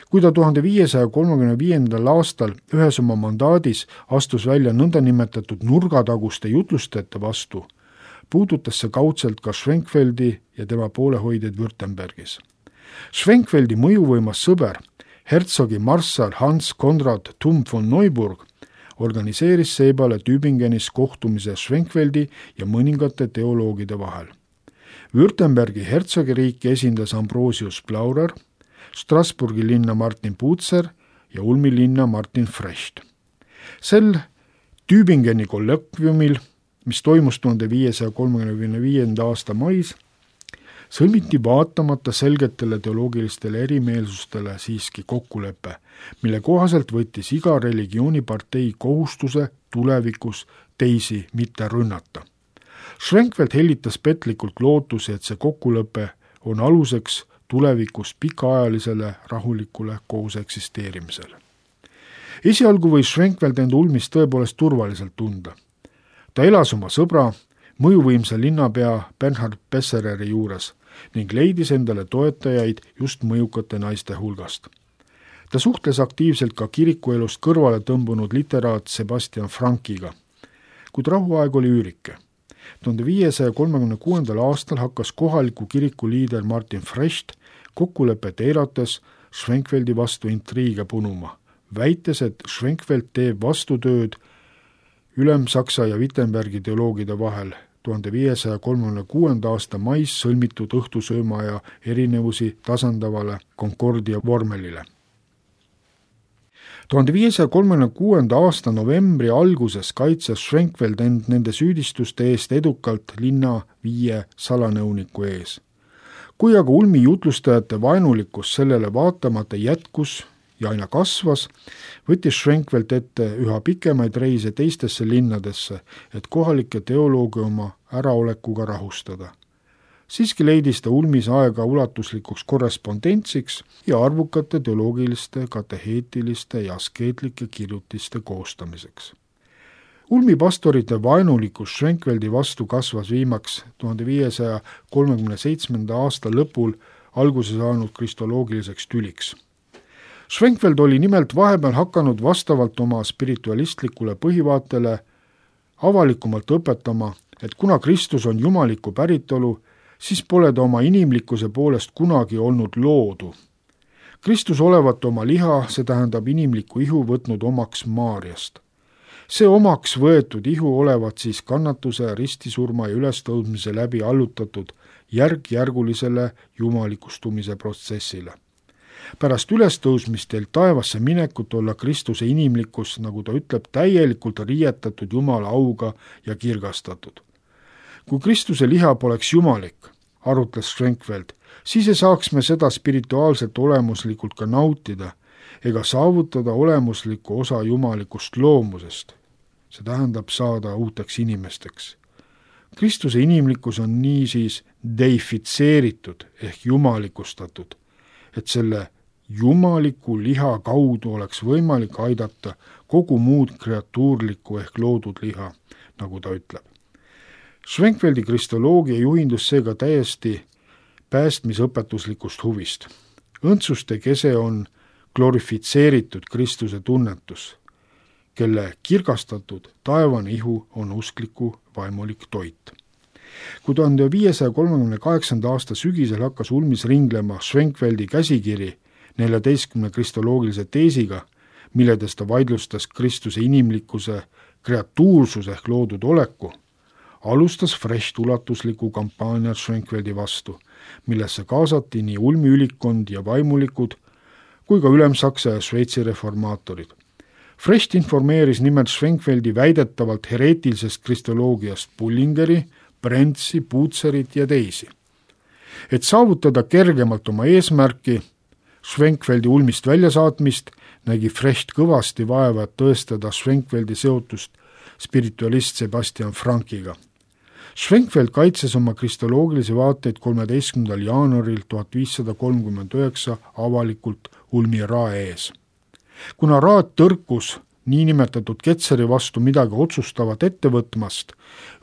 Kui ta tuhande viiesaja kolmekümne viiendal aastal ühes oma mandaadis astus välja nõndanimetatud nurgataguste jutlustajate vastu, puudutas see kaudselt ka Schwenkfeldi ja tema poolehoidjaid Württembergis. Schwenkfeldi mõjuvõimas sõber, hertsogi marssal Hans Konrad Thum von Neuburg, organiseeris seepeale Tübingenis kohtumise Schwenkfeldi ja mõningate teoloogide vahel. Württembergi hertsogiriiki esindas Ambrosius Plaurer, Strasbourgi linna Martin Bucer ja Ulmi linna Martin Frecht. Sel Tübingeni kollokviumil, mis toimus tuhande viiesaja kolmekümne viienda aasta mais, sõlmiti vaatamata selgetele teoloogilistele erimeelsustele siiski kokkulepe, mille kohaselt võttis iga religioonipartei kohustuse tulevikus teisi mitte rünnata. Schwenkfeld hellitas petlikult lootusi, et see kokkulepe on aluseks tulevikus pikaajalisele rahulikule koos eksisteerimisele. Esialgu võis Schwenkfeld end Ulmis tõepoolest turvaliselt tunda. Ta elas oma sõbra, mõjuvõimsa linnapea Bernhard Bessereri juures ning leidis endale toetajaid just mõjukate naiste hulgast. Ta suhtles aktiivselt ka kirikuelust kõrvale tõmbunud literaat Sebastian Frankiga, kuid rahuaeg oli üürike. tuhande viiesaja kolmekümne kuuendal aastal hakkas kohaliku kiriku liider Martin Frecht kokkulepet eirates Schwenkfeldi vastu intriige punuma, väites, et Schwenkfeld teeb vastutööd Ülem-Saksa ja Wittenbergi teoloogide vahel tuhande viiesaja kolmekümne kuuenda aasta mais sõlmitud õhtusööma ja erinevusi tasandavale Concordia vormelile. tuhande viiesaja kolmekümne kuuenda aasta novembri alguses kaitses Schwenkfeld end nende süüdistuste eest edukalt linna viie salanõuniku ees. Kui aga Ulmi jutlustajate vaenulikkus sellele vaatamata jätkus ja aina kasvas, võttis Schwenkfeld ette üha pikemaid reise teistesse linnadesse, et kohalikke teolooge oma äraolekuga rahustada. Siiski leidis ta Ulmis aega ulatuslikuks korrespondentsiks ja arvukate teoloogiliste, kateheetiliste ja askeetlike kirjutiste koostamiseks. Ulmi pastorite vaenulikkus Schwenkfeldi vastu kasvas viimaks tuhande viiesaja kolmekümne seitsmenda aasta lõpul alguse saanud kristoloogiliseks tüliks. Schwenkfeld oli nimelt vahepeal hakanud vastavalt oma spiritualistlikule põhivaatele avalikumalt õpetama, et kuna Kristus on jumaliku päritolu, siis pole ta oma inimlikkuse poolest kunagi olnud loodu. Kristus olevat oma liha, see tähendab inimliku ihu, võtnud omaks Maarjast. see omaks võetud ihu olevat siis kannatuse, ristisurma ja ülestõudmise läbi allutatud järk-järgulisele jumalikustumise protsessile. Pärast ülestõusmist teilt taevasse minekut olla Kristuse inimlikkus, nagu ta ütleb, täielikult riietatud Jumala auga ja kirgastatud. Kui Kristuse liha poleks jumalik, arutles Schwenkfeld, siis ei saaks me seda spirituaalselt olemuslikult ka nautida ega saavutada olemuslikku osa jumalikust loomusest. See tähendab saada uuteks inimesteks. Kristuse inimlikkus on niisiis deifitseeritud ehk jumalikustatud, et selle jumaliku liha kaudu oleks võimalik aidata kogu muud kreatuurlikku ehk loodud liha, nagu ta ütleb. Schwenkfeldi kristoloogia juhindus seega täiesti päästmisõpetuslikust huvist. Õndsuste kese on glorifitseeritud Kristuse tunnetus, kelle kirgastatud taevane ihu on uskliku vaimulik toit. Kui tuhande viiesaja kolmekümne kaheksanda aasta sügisel hakkas ulmis ringlema Schwenkfeldi käsikiri neljateistkümne kristoloogilise teesiga, milledes ta vaidlustas Kristuse inimlikkuse kreatuursuse ehk loodud oleku, alustas Frecht ulatusliku kampaania Schwenkfeldi vastu, millesse kaasati nii ulmi ülikond ja vaimulikud kui ka Ülemsaksa ja Šveitsi reformaatorid. Frecht informeeris nimelt Schwenkfeldi väidetavalt hereetilisest kristoloogiast Bullingeri, Brentsi, Puutserit ja teisi. Et saavutada kergemalt oma eesmärki, Schwenkfeldi ulmist väljasaatmist, nägi Frecht kõvasti vaeva, et tõestada Schwenkfeldi seotust spiritualist Sebastian Frankiga. Schwenkfeld kaitses oma kristoloogilisi vaateid kolmeteistkümnendal jaanuaril tuhat viissada kolmkümmend üheksa avalikult ulmi rae ees. Kuna raad tõrkus niinimetatud Ketseri vastu midagi otsustavat ette võtmast,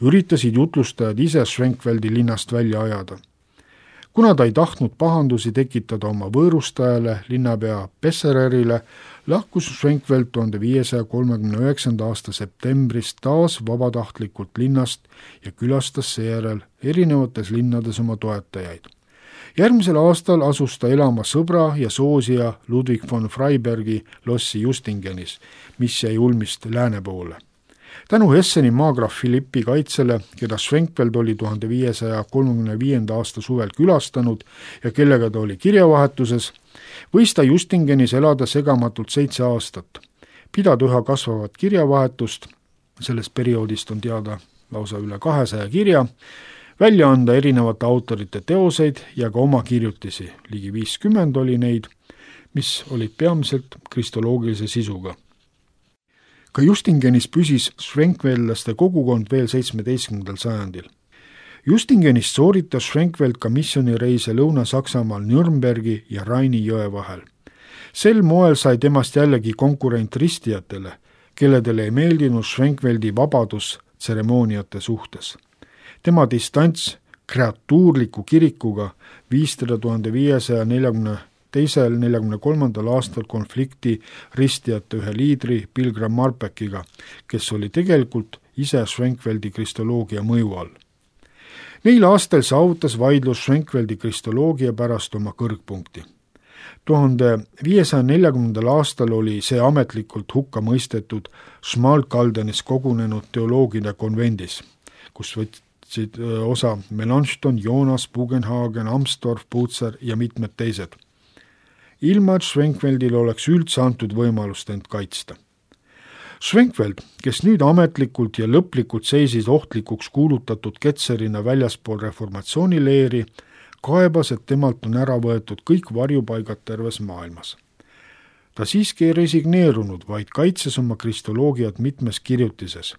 üritasid jutlustajad ise Schwenkfeldi linnast välja ajada. Kuna ta ei tahtnud pahandusi tekitada oma võõrustajale, linnapea Bessererile, lahkus Schwenkfeld tuhande viiesaja kolmekümne üheksanda aasta septembris taas vabatahtlikult linnast ja külastas seejärel erinevates linnades oma toetajaid. Järgmisel aastal asus ta elama sõbra ja soosija Ludwig von Freibergi lossi Justingenis, mis jäi ulmist lääne poole. Tänu Hesseni maagraaf Philippi kaitsele, keda Schwenkfeld oli tuhande viiesaja kolmekümne viienda aasta suvel külastanud ja kellega ta oli kirjavahetuses, võis ta Justingenis elada segamatult seitse aastat. Pidada üha kasvavat kirjavahetust, sellest perioodist on teada lausa üle kahesaja kirja, välja anda erinevate autorite teoseid ja ka oma kirjutisi, ligi viiskümmend oli neid, mis olid peamiselt kristoloogilise sisuga. Ka Justingenis püsis Schwenkfeldlaste kogukond veel seitsmeteistkümnendal sajandil. Justingenist sooritas Schwenkfeld ka missioonireise Lõuna-Saksamaal Nürnbergi ja Raini jõe vahel. Sel moel sai temast jällegi konkurent ristijatele, kelledele ei meeldinud Schwenkfeldi vabadus tseremooniate suhtes. Tema distants kreatuurliku kirikuga viis teda tuhande viiesaja neljakümne teisel neljakümne kolmandal aastal konflikti ristijate ühe liidri Pilgram Marpekiga, kes oli tegelikult ise Schwenkfeldi kristoloogia mõju all. Neil aastal saavutas vaidlus Schwenkfeldi kristoloogia pärast oma kõrgpunkti. tuhande viiesaja neljakümnendal aastal oli see ametlikult hukka mõistetud Schmalkaldenis kogunenud teoloogide konvendis, kus võtsid osa Melanchthon, Jonas, Bugenhagen, Amstorff, Puutser ja mitmed teised. Ilma, et Schwenkfeldil oleks üldse antud võimalust end kaitsta. Schwenkfeld, kes nüüd ametlikult ja lõplikult seisis ohtlikuks kuulutatud ketserina väljaspool reformatsioonileeri, kaebas, et temalt on ära võetud kõik varjupaigad terves maailmas. Ta siiski ei resigneerunud, vaid kaitses oma kristoloogiat mitmes kirjutises,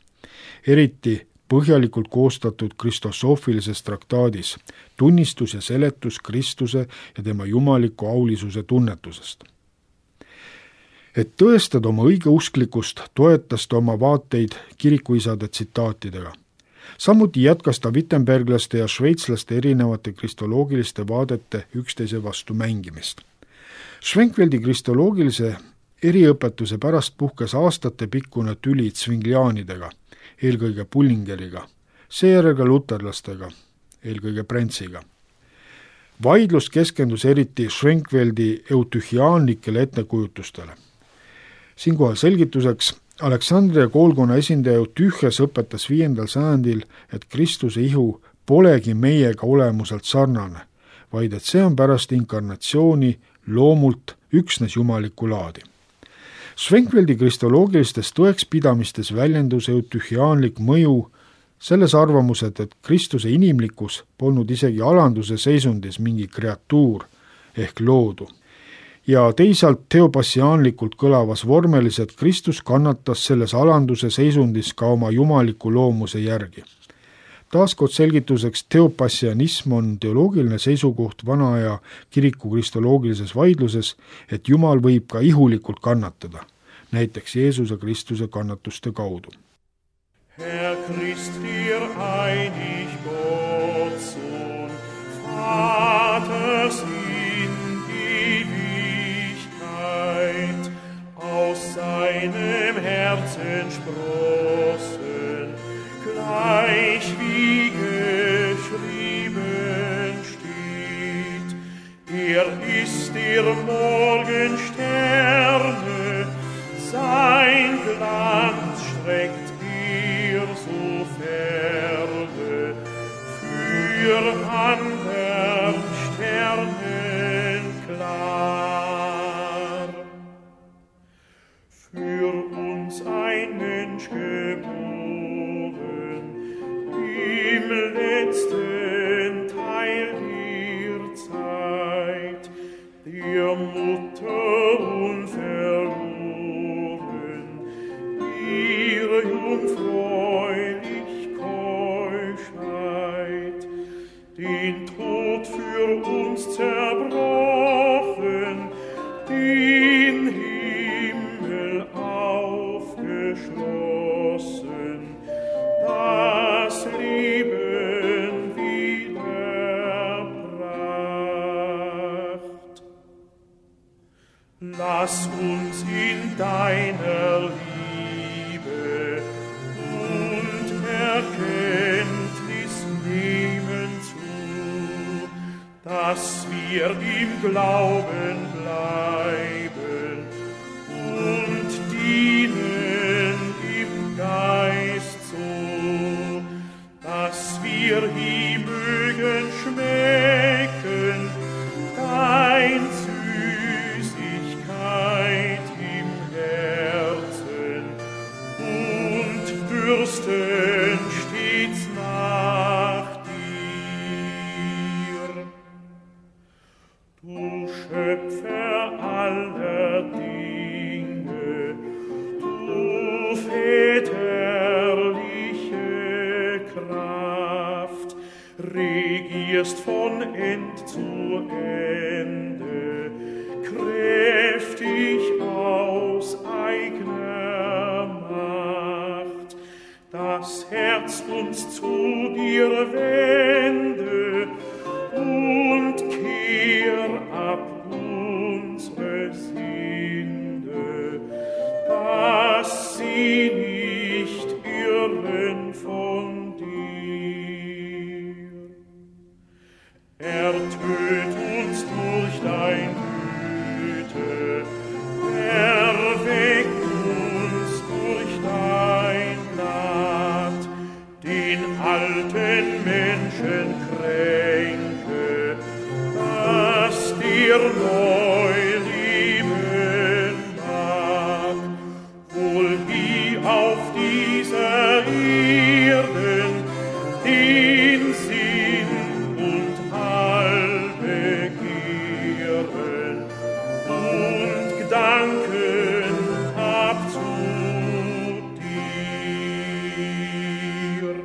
eriti põhjalikult koostatud kristosoofilises traktaadis, tunnistus ja seletus Kristuse ja tema jumaliku aulisuse tunnetusest. Et tõestada oma õigeusklikkust, toetas ta oma vaateid kirikuisade tsitaatidega. Samuti jätkas ta wittenberglaste ja šveitslaste erinevate kristoloogiliste vaadete üksteise vastu mängimist. Schwenkfeldi kristoloogilise eriõpetuse pärast puhkes aastate pikkune tüli Zwinglianidega, eelkõige Bullingeriga, seejärel ka luterlastega, eelkõige Brentsiga. Vaidlus keskendus eriti Schwenkfeldi eutühiaanlikele ettekujutustele. Siinkohal selgituseks, Aleksandria koolkonna esindaja Tühjas õpetas viiendal sajandil, et Kristuse ihu polegi meiega olemuselt sarnane, vaid et see on pärast inkarnatsiooni loomult üksnes jumalikku laadi. Schwenkfeldi kristoloogilistes tõekspidamistes väljendus eutühhiaanlik mõju selles arvamused, et Kristuse inimlikkus polnud isegi alanduse seisundis mingi kreatuur ehk loodu. Ja teisalt teopassiaanlikult kõlavas vormelis, et Kristus kannatas selles alanduse seisundis ka oma jumaliku loomuse järgi. Taaskord selgituseks, teopassianism on teoloogiline seisukoht vana aja kiriku kristoloogilises vaidluses, et Jumal võib ka ihulikult kannatada, näiteks Jeesuse Kristuse kannatuste kaudu. Herr Christ, dir einig Gott, Sohn, Vaters in Ewigkeit, aus seinem Herzen sprossen, gleich wie geschrieben steht. Er ist der Morgensterne, sein Glanz streckt so ferne, für andern Sternen klar. Für uns ein Mensch geboren, im letzten Teil der Zeit, der Mutter unverloren, ihre jungfräulich Keuschheit, den Tod für uns zerbrochen, den Himmel aufgeschlossen, das Leben wiederbracht. Lass uns in deiner Liebe und Erkenntnis nehmen zu, dass wir im Glauben bleiben und dienen im Geist so, dass wir ihm mögen schmecken, dein Süßigkeit im Herzen und dürsten stets nach dir. Du Schöpfer aller Dinge, du väterliche Kraft, regierst von End zu Ende, kräftig aus eigener Macht, das Herz uns zu dir wende und kehr ab unsere Sünde, dass sie nicht irren von dir. Ertöt uns durch dein Güte, erweck uns durch dein Gnad, den alten Menschen kränke, dass dir neu leben mag, wohl wie auf dieser Erden den Sinn und all Begehren und Gedanken hab zu dir.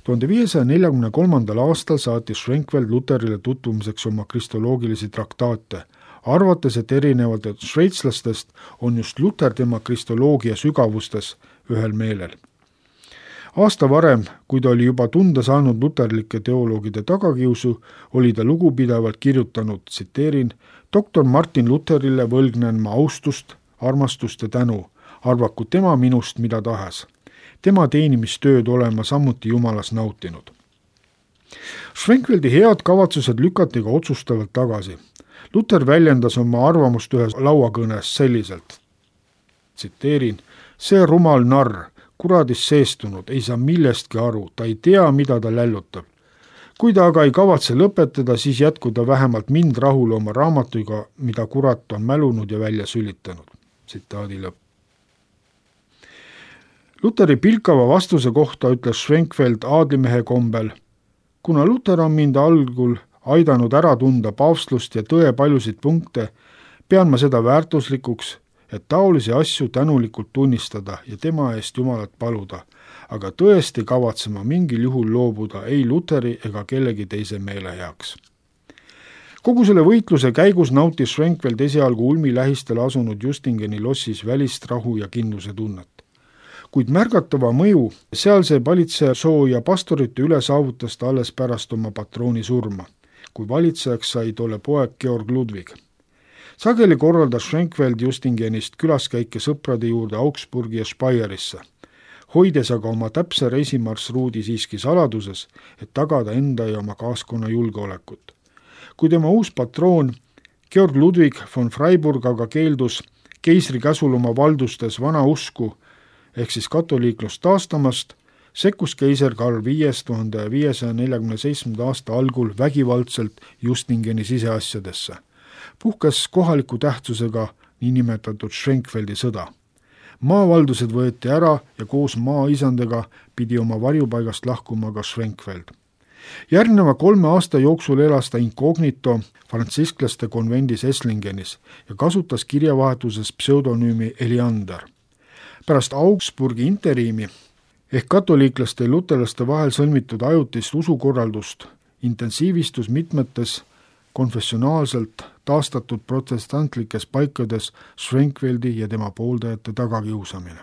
tuhande viiesaja neljakümne kolmandal aastal saatis Schwenkfeld Luterile tutvumiseks oma kristoloogilisi traktaate, arvates, et erinevalt šveitslastest on just Luter tema kristoloogia sügavustes ühel meelel. Aasta varem, kui ta oli juba tunda saanud luterlike teoloogide tagakiusu, oli ta lugupidavalt kirjutanud, tsiteerin, doktor Martin Luterile võlgnen ma austust, armastust ja tänu, arvaku tema minust mida tahes. Tema teenimistööd olema samuti Jumalas nautinud. Schwenkfeldi head kavatsused lükati ka otsustavalt tagasi. Luther väljendas oma arvamust ühes lauakõnes selliselt, tsiteerin, see rumal narr, kuradis seestunud, ei saa millestki aru, ta ei tea, mida ta lällutab. Kui ta aga ei kavatse lõpetada, siis jätkuda vähemalt mind rahule oma raamatuga, mida kurat on mälunud ja välja sülitanud. Tsitaadi lõpp. Lutheri pilkava vastuse kohta ütles Schwenkfeld aadlimehe kombel, kuna Luther on mind algul aidanud ära tunda paavstlust ja tõe paljusid punkte, pean ma seda väärtuslikuks, et taolisi asju tänulikult tunnistada ja tema eest Jumalat paluda, aga tõesti kavatsema mingil juhul loobuda ei Lutheri ega kellegi teise meele heaks. Kogu selle võitluse käigus nautis Schwenkfeld esialgu ulmi lähistel asunud Justingeni lossis välist rahu ja kindluse tunnet. Kuid märgatava mõju sealse valitseja soo ja pastorite üle saavutas ta alles pärast oma patrooni surma, kui valitsejaks sai tolle poeg Georg Ludwig. Sageli korraldas Schwenkfeld Justingenist külaskäike sõprade juurde Augsburgi ja Speierisse, hoides aga oma täpse reisimarsruudi siiski saladuses, et tagada enda ja oma kaaskonna julgeolekut. Kui tema uus patroon Georg Ludwig von Freiburg aga keeldus keisri käsul oma valdustes vana usku ehk siis katoliiklust taastamast, sekkus keiser Karl viies tuhande viiesaja neljakümne seitsmenda aasta algul vägivaldselt Justingeni siseasjadesse. Puhkes kohaliku tähtsusega niinimetatud Schwenkfeldi sõda. Maavaldused võeti ära ja koos maaisandega pidi oma varjupaigast lahkuma ka Schwenkfeld. Järgneva kolme aasta jooksul elas ta inkognito frantsisklaste konvendis Esslingenis ja kasutas kirjavahetuses pseudonüümi Eliander. Pärast Augsburgi interiimi ehk katoliiklaste ja luterlaste vahel sõlmitud ajutist usukorraldust intensiivistus mitmetes konfessionaalselt taastatud protestantlikes paikades Schwenkfeldi ja tema pooldajate tagakiusamine.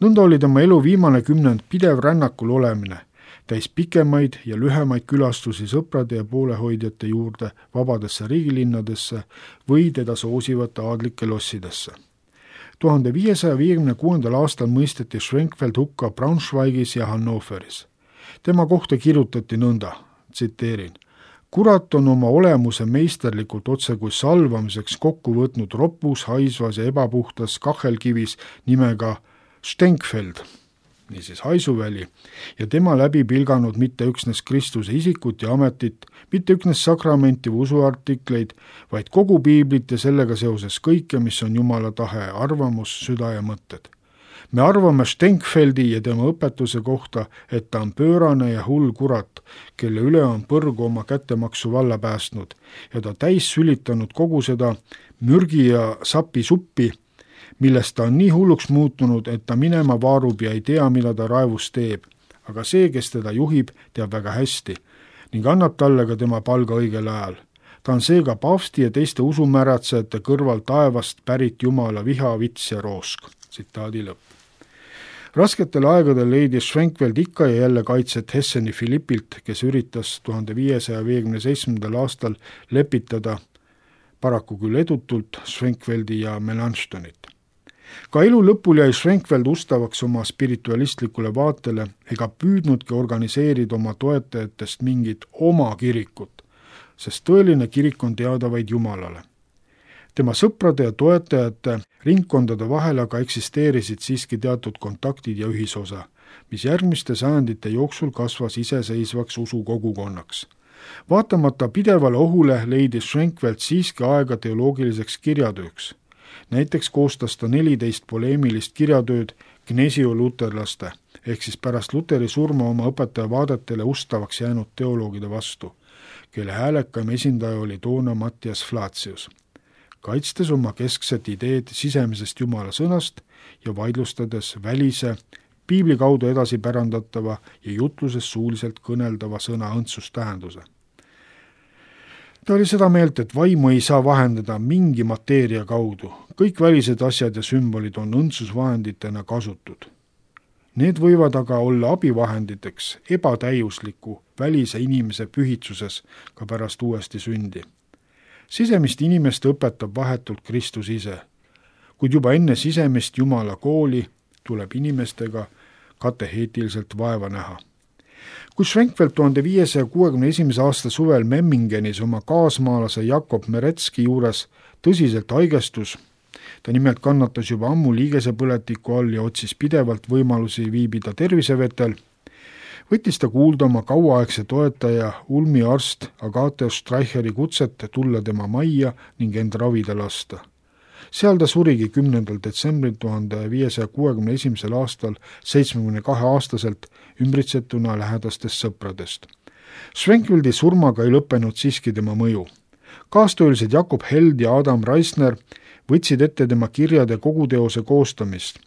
Nõnda oli tema elu viimane kümnend pidev rännakul olemine, täis pikemaid ja lühemaid külastusi sõprade ja poolehoidjate juurde vabadesse riigilinnadesse või teda soosivate aadlike lossidesse. tuhande viiesaja viiekümne kuuendal aastal mõisteti Schwenkfeld hukka Braunschweigis ja Hannoveris. Tema kohta kirjutati nõnda, tsiteerin, kurat on oma olemuse meisterlikult otse kui salvamiseks kokku võtnud ropus, haisvas ja ebapuhtas kahelkivis nimega Stenkfeld, niisiis haisuväli, ja tema läbi pilganud mitte üksnes Kristuse isikut ja ametit, mitte üksnes sakramenti või usuartikleid, vaid kogu piiblit ja sellega seoses kõike, mis on Jumala tahe, arvamus, süda ja mõtted. Me arvame Stenkfeldi ja tema õpetuse kohta, et ta on pöörane ja hull kurat, kelle üle on põrgu oma kättemaksu valla päästnud ja ta täis sülitanud kogu seda mürgi ja sapi suppi, millest ta on nii hulluks muutunud, et ta minema vaarub ja ei tea, mida ta raevus teeb. Aga see, kes teda juhib, teab väga hästi ning annab talle ka tema palga õigel ajal. Ta on seega paavsti ja teiste usumäratsejate kõrval taevast pärit Jumala viha, vits ja roosk. Tsitaadi lõpp. Rasketel aegadel leidis Schwenkfeld ikka ja jälle kaitset Hesseni Philippilt, kes üritas tuhande viiesaja viiekümne seitsmendal aastal lepitada paraku küll edutult Schwenkfeldi ja Melanchthonit. Ka elu lõpul jäi Schwenkfeld ustavaks oma spiritualistlikule vaatele ega püüdnudki organiseerida oma toetajatest mingit oma kirikut, sest tõeline kirik on teada vaid Jumalale. Tema sõprade ja toetajate ringkondade vahel aga eksisteerisid siiski teatud kontaktid ja ühisosa, mis järgmiste sajandite jooksul kasvas iseseisvaks usukogukonnaks. Vaatamata pidevale ohule leidis Schwenkfeld siiski aega teoloogiliseks kirjatööks. Näiteks koostas ta neliteist poleemilist kirjatööd Gnesio luterlaste, ehk siis pärast Luteri surma oma õpetaja vaadetele ustavaks jäänud teoloogide vastu, kelle häälekam esindaja oli toona Matthias Flacius, kaitstes oma keskset ideed sisemisest Jumala sõnast ja vaidlustades välise, piibli kaudu edasi pärandatava ja jutluses suuliselt kõneldava sõna õndsustähenduse. Ta oli seda meelt, et vaimu ei saa vahendada mingi mateeria kaudu. Kõik välised asjad ja sümbolid on õndsusvahenditena kasutud. Need võivad aga olla abivahenditeks ebatäiusliku välise inimese pühitsuses ka pärast uuesti sündi. Sisemist inimest õpetab vahetult Kristus ise, kuid juba enne sisemist Jumala kooli tuleb inimestega kateheetiliselt vaeva näha. kui Schwenkfeld tuhande viiesaja kuuekümne esimese aasta suvel Memmingenis oma kaasmaalase Jakob Meretski juures tõsiselt haigestus, ta nimelt kannatas juba ammu liigesepõletiku all ja otsis pidevalt võimalusi viibida tervisevetel, võttis ta kuulda oma kauaaegse toetaja Ulmi arst Agathe Streicheri kutset tulla tema majja ning end ravida lasta. Seal ta surigi kümnendal detsembril tuhande viiesaja kuuekümne esimesel aastal seitsmekümne kahe aastaselt ümbritsetuna lähedastest sõpradest. Schwenkfeldi surmaga ei lõppenud siiski tema mõju. Kaastöölised Jakob Held ja Adam Reisner võtsid ette tema kirjade koguteose koostamist,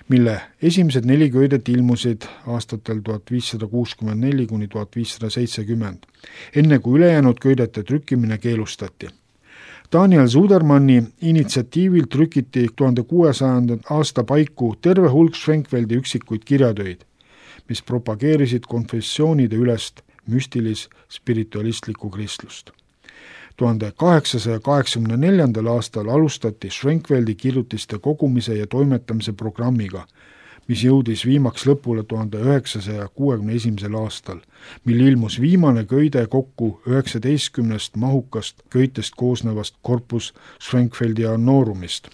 mille esimesed neli köidet ilmusid aastatel tuhat viissada kuuskümmend neli kuni tuhat viissada seitsekümmend, enne kui ülejäänud köidete trükkimine keelustati. Daniel Zudermanni initsiatiivil trükiti tuhande kuuesajanda aasta paiku terve hulk Schwenkfeldi üksikuid kirjatöid, mis propageerisid konfessioonide ülest müstilis-spiritualistlikku kristlust. tuhande kaheksasaja kaheksakümne neljandal aastal alustati Schwenkfeldi kirjutiste kogumise ja toimetamise programmiga, mis jõudis viimaks lõpule tuhande üheksasaja kuuekümne esimesel aastal, mil ilmus viimane köide kokku üheksateistkümnest mahukast köitest koosnevast korpus Schwenkfeldi annoorumist.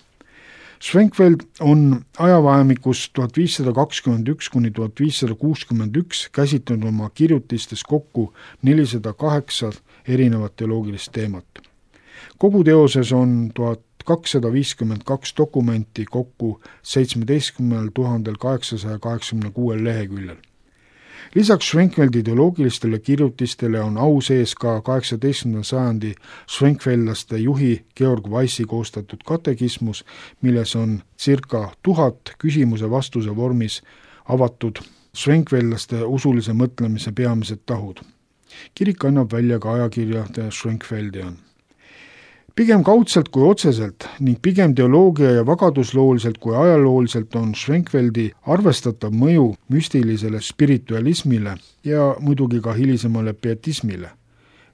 Schwenkfeld on ajavahemikus tuhat viissada kakskümmend üks kuni tuhat viissada kuuskümmend üks käsitlenud oma kirjutistes kokku nelisada kaheksa erinevat teoloogilist teemat. Kogu teoses on tuhat kakssada viiskümmend kaks dokumenti kokku seitsmeteistkümnel tuhandel kaheksasaja kaheksakümne kuuel leheküljel. Lisaks Schwenkfeldi teoloogilistele kirjutistele on au sees ka kaheksateistkümnenda sajandi Schwenkfeldlaste juhi Georg Weissi koostatud katekismus, milles on circa tuhat küsimuse vastuse vormis avatud Schwenkfeldlaste usulise mõtlemise peamised tahud. Kirik annab välja ka ajakirja The Schwenkfeldian. Pigem kaudselt kui otseselt ning pigem teoloogia ja vagaduslooliselt kui ajalooliselt on Schwenkfeldi arvestatav mõju müstilisele spiritualismile ja muidugi ka hilisemale pietismile,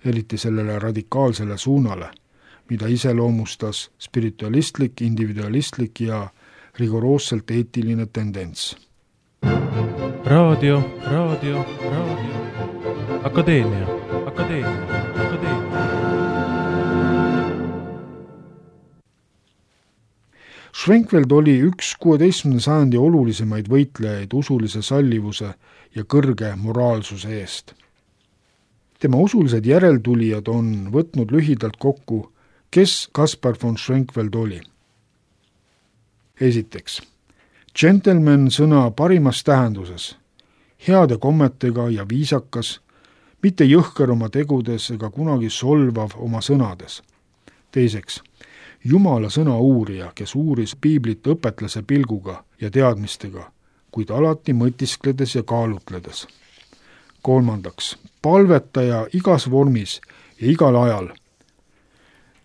eriti sellele radikaalsele suunale, mida iseloomustas spiritualistlik, individualistlik ja rigoroosselt eetiline tendents. Raadio, raadio, raadio. Akadeemia, akadeemia, akadeemia. Schwenkfeld oli üks kuueteistkümnenda sajandi olulisemaid võitlejaid usulise sallivuse ja kõrge moraalsuse eest. Tema usulised järeltulijad on võtnud lühidalt kokku, kes Kaspar von Schwenkfeld oli. Esiteks, gentleman sõna parimas tähenduses, heade kommetega ja viisakas, mitte jõhker oma tegudes ega kunagi solvav oma sõnades. Teiseks, Jumala sõna uurija, kes uuris piiblit õpetlase pilguga ja teadmistega, kuid alati mõtiskledes ja kaalutledes. Kolmandaks, palvetaja igas vormis ja igal ajal.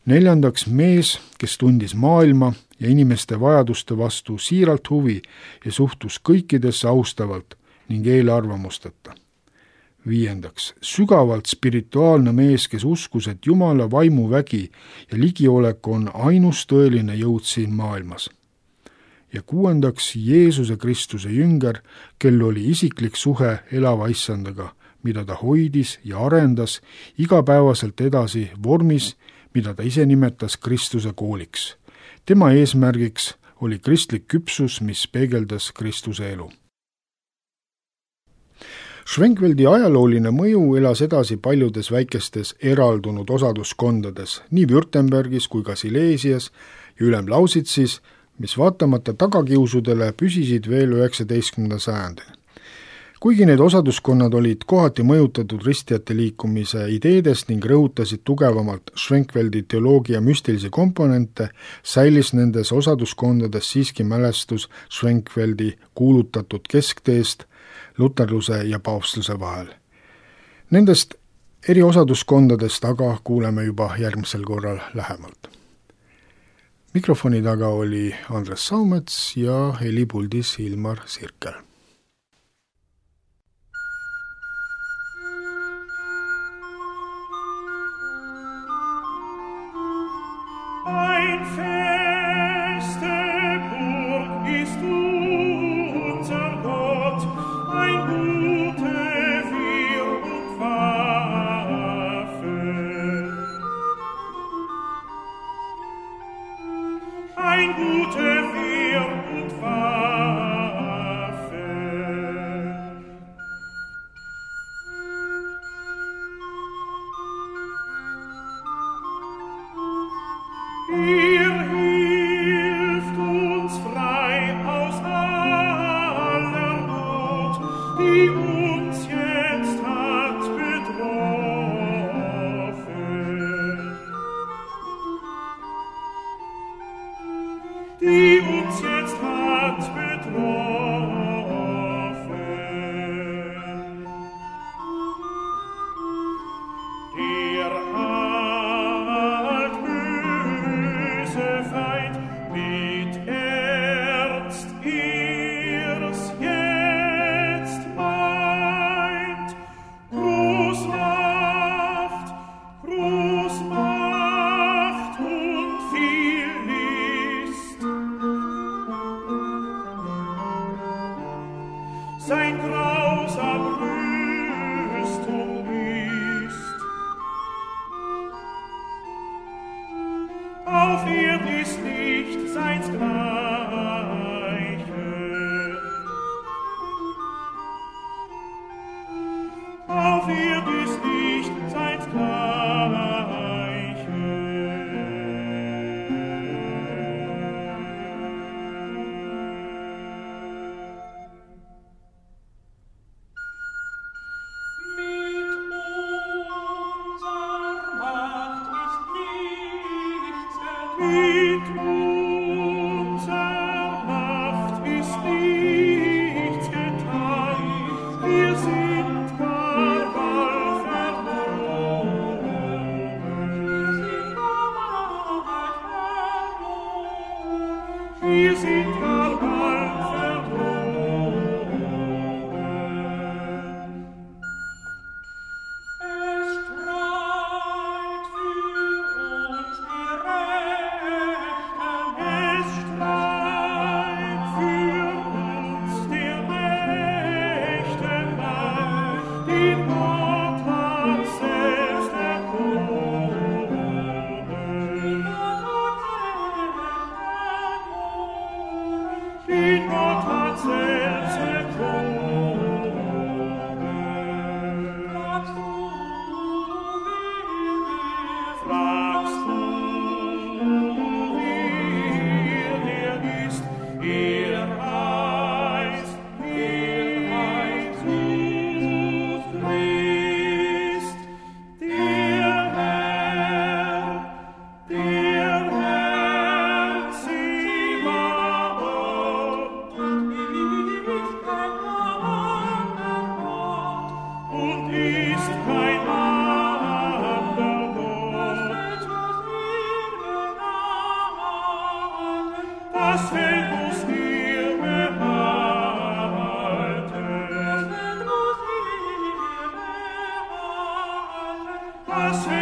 Neljandaks, mees, kes tundis maailma ja inimeste vajaduste vastu siiralt huvi ja suhtus kõikidesse austavalt ning eelarvamusteta. Viiendaks, sügavalt spirituaalne mees, kes uskus, et Jumala vaimuvägi ja ligiolek on ainus tõeline jõud siin maailmas. Ja kuuendaks, Jeesuse Kristuse jünger, kel oli isiklik suhe elava issandaga, mida ta hoidis ja arendas igapäevaselt edasi vormis, mida ta ise nimetas Kristuse kooliks. Tema eesmärgiks oli kristlik küpsus, mis peegeldas Kristuse elu. Schwenkfeldi ajalooline mõju elas edasi paljudes väikestes eraldunud osaduskondades, nii Württembergis kui ka Silesias ja Ülem-Lausitsis, mis vaatamata tagakiusudele püsisid veel üheksateistkümnenda sajandil. Kuigi need osaduskonnad olid kohati mõjutatud ristijate liikumise ideedest ning rõhutasid tugevamalt Schwenkfeldi teoloogia müstilisi komponente, säilis nendes osaduskondades siiski mälestus Schwenkfeldi kuulutatud keskteest luterluse ja paavstluse vahel. Nendest eri osaduskondadest aga kuuleme juba järgmisel korral lähemalt. Mikrofoni taga oli Andres Saumets ja helipuldis Ilmar Sirkel. Ein feste Burg ist unser Gott, ein gute die uns jetzt hat betroffen, die uns jetzt hat betroffen. Der altböse Feind mit Ernst ihr's jetzt meint, Großmacht, Großmacht und viel List. Sein grausam Rüstung ist. Auf Erd ist nicht seins Gleiche. Auf Erd ist nicht seins Gleiche. Mit unserer Macht ist nichts getan. Wir sind gar bald verloren. Wir sind gar bald verloren. Es streit für uns die Rechten. Es streit für uns die Rechten Mann, den Gott hat selbst erkoren. Den Gott hat selbst erkoren. Fragst du, wer der ist? Er heißt, er heißt Jesus Christ, der Herr, der Herr Zebaoth. Ist kein anderer Gott und ist kein anderer Gott. Das Feld muss ihr behalten. Das Feld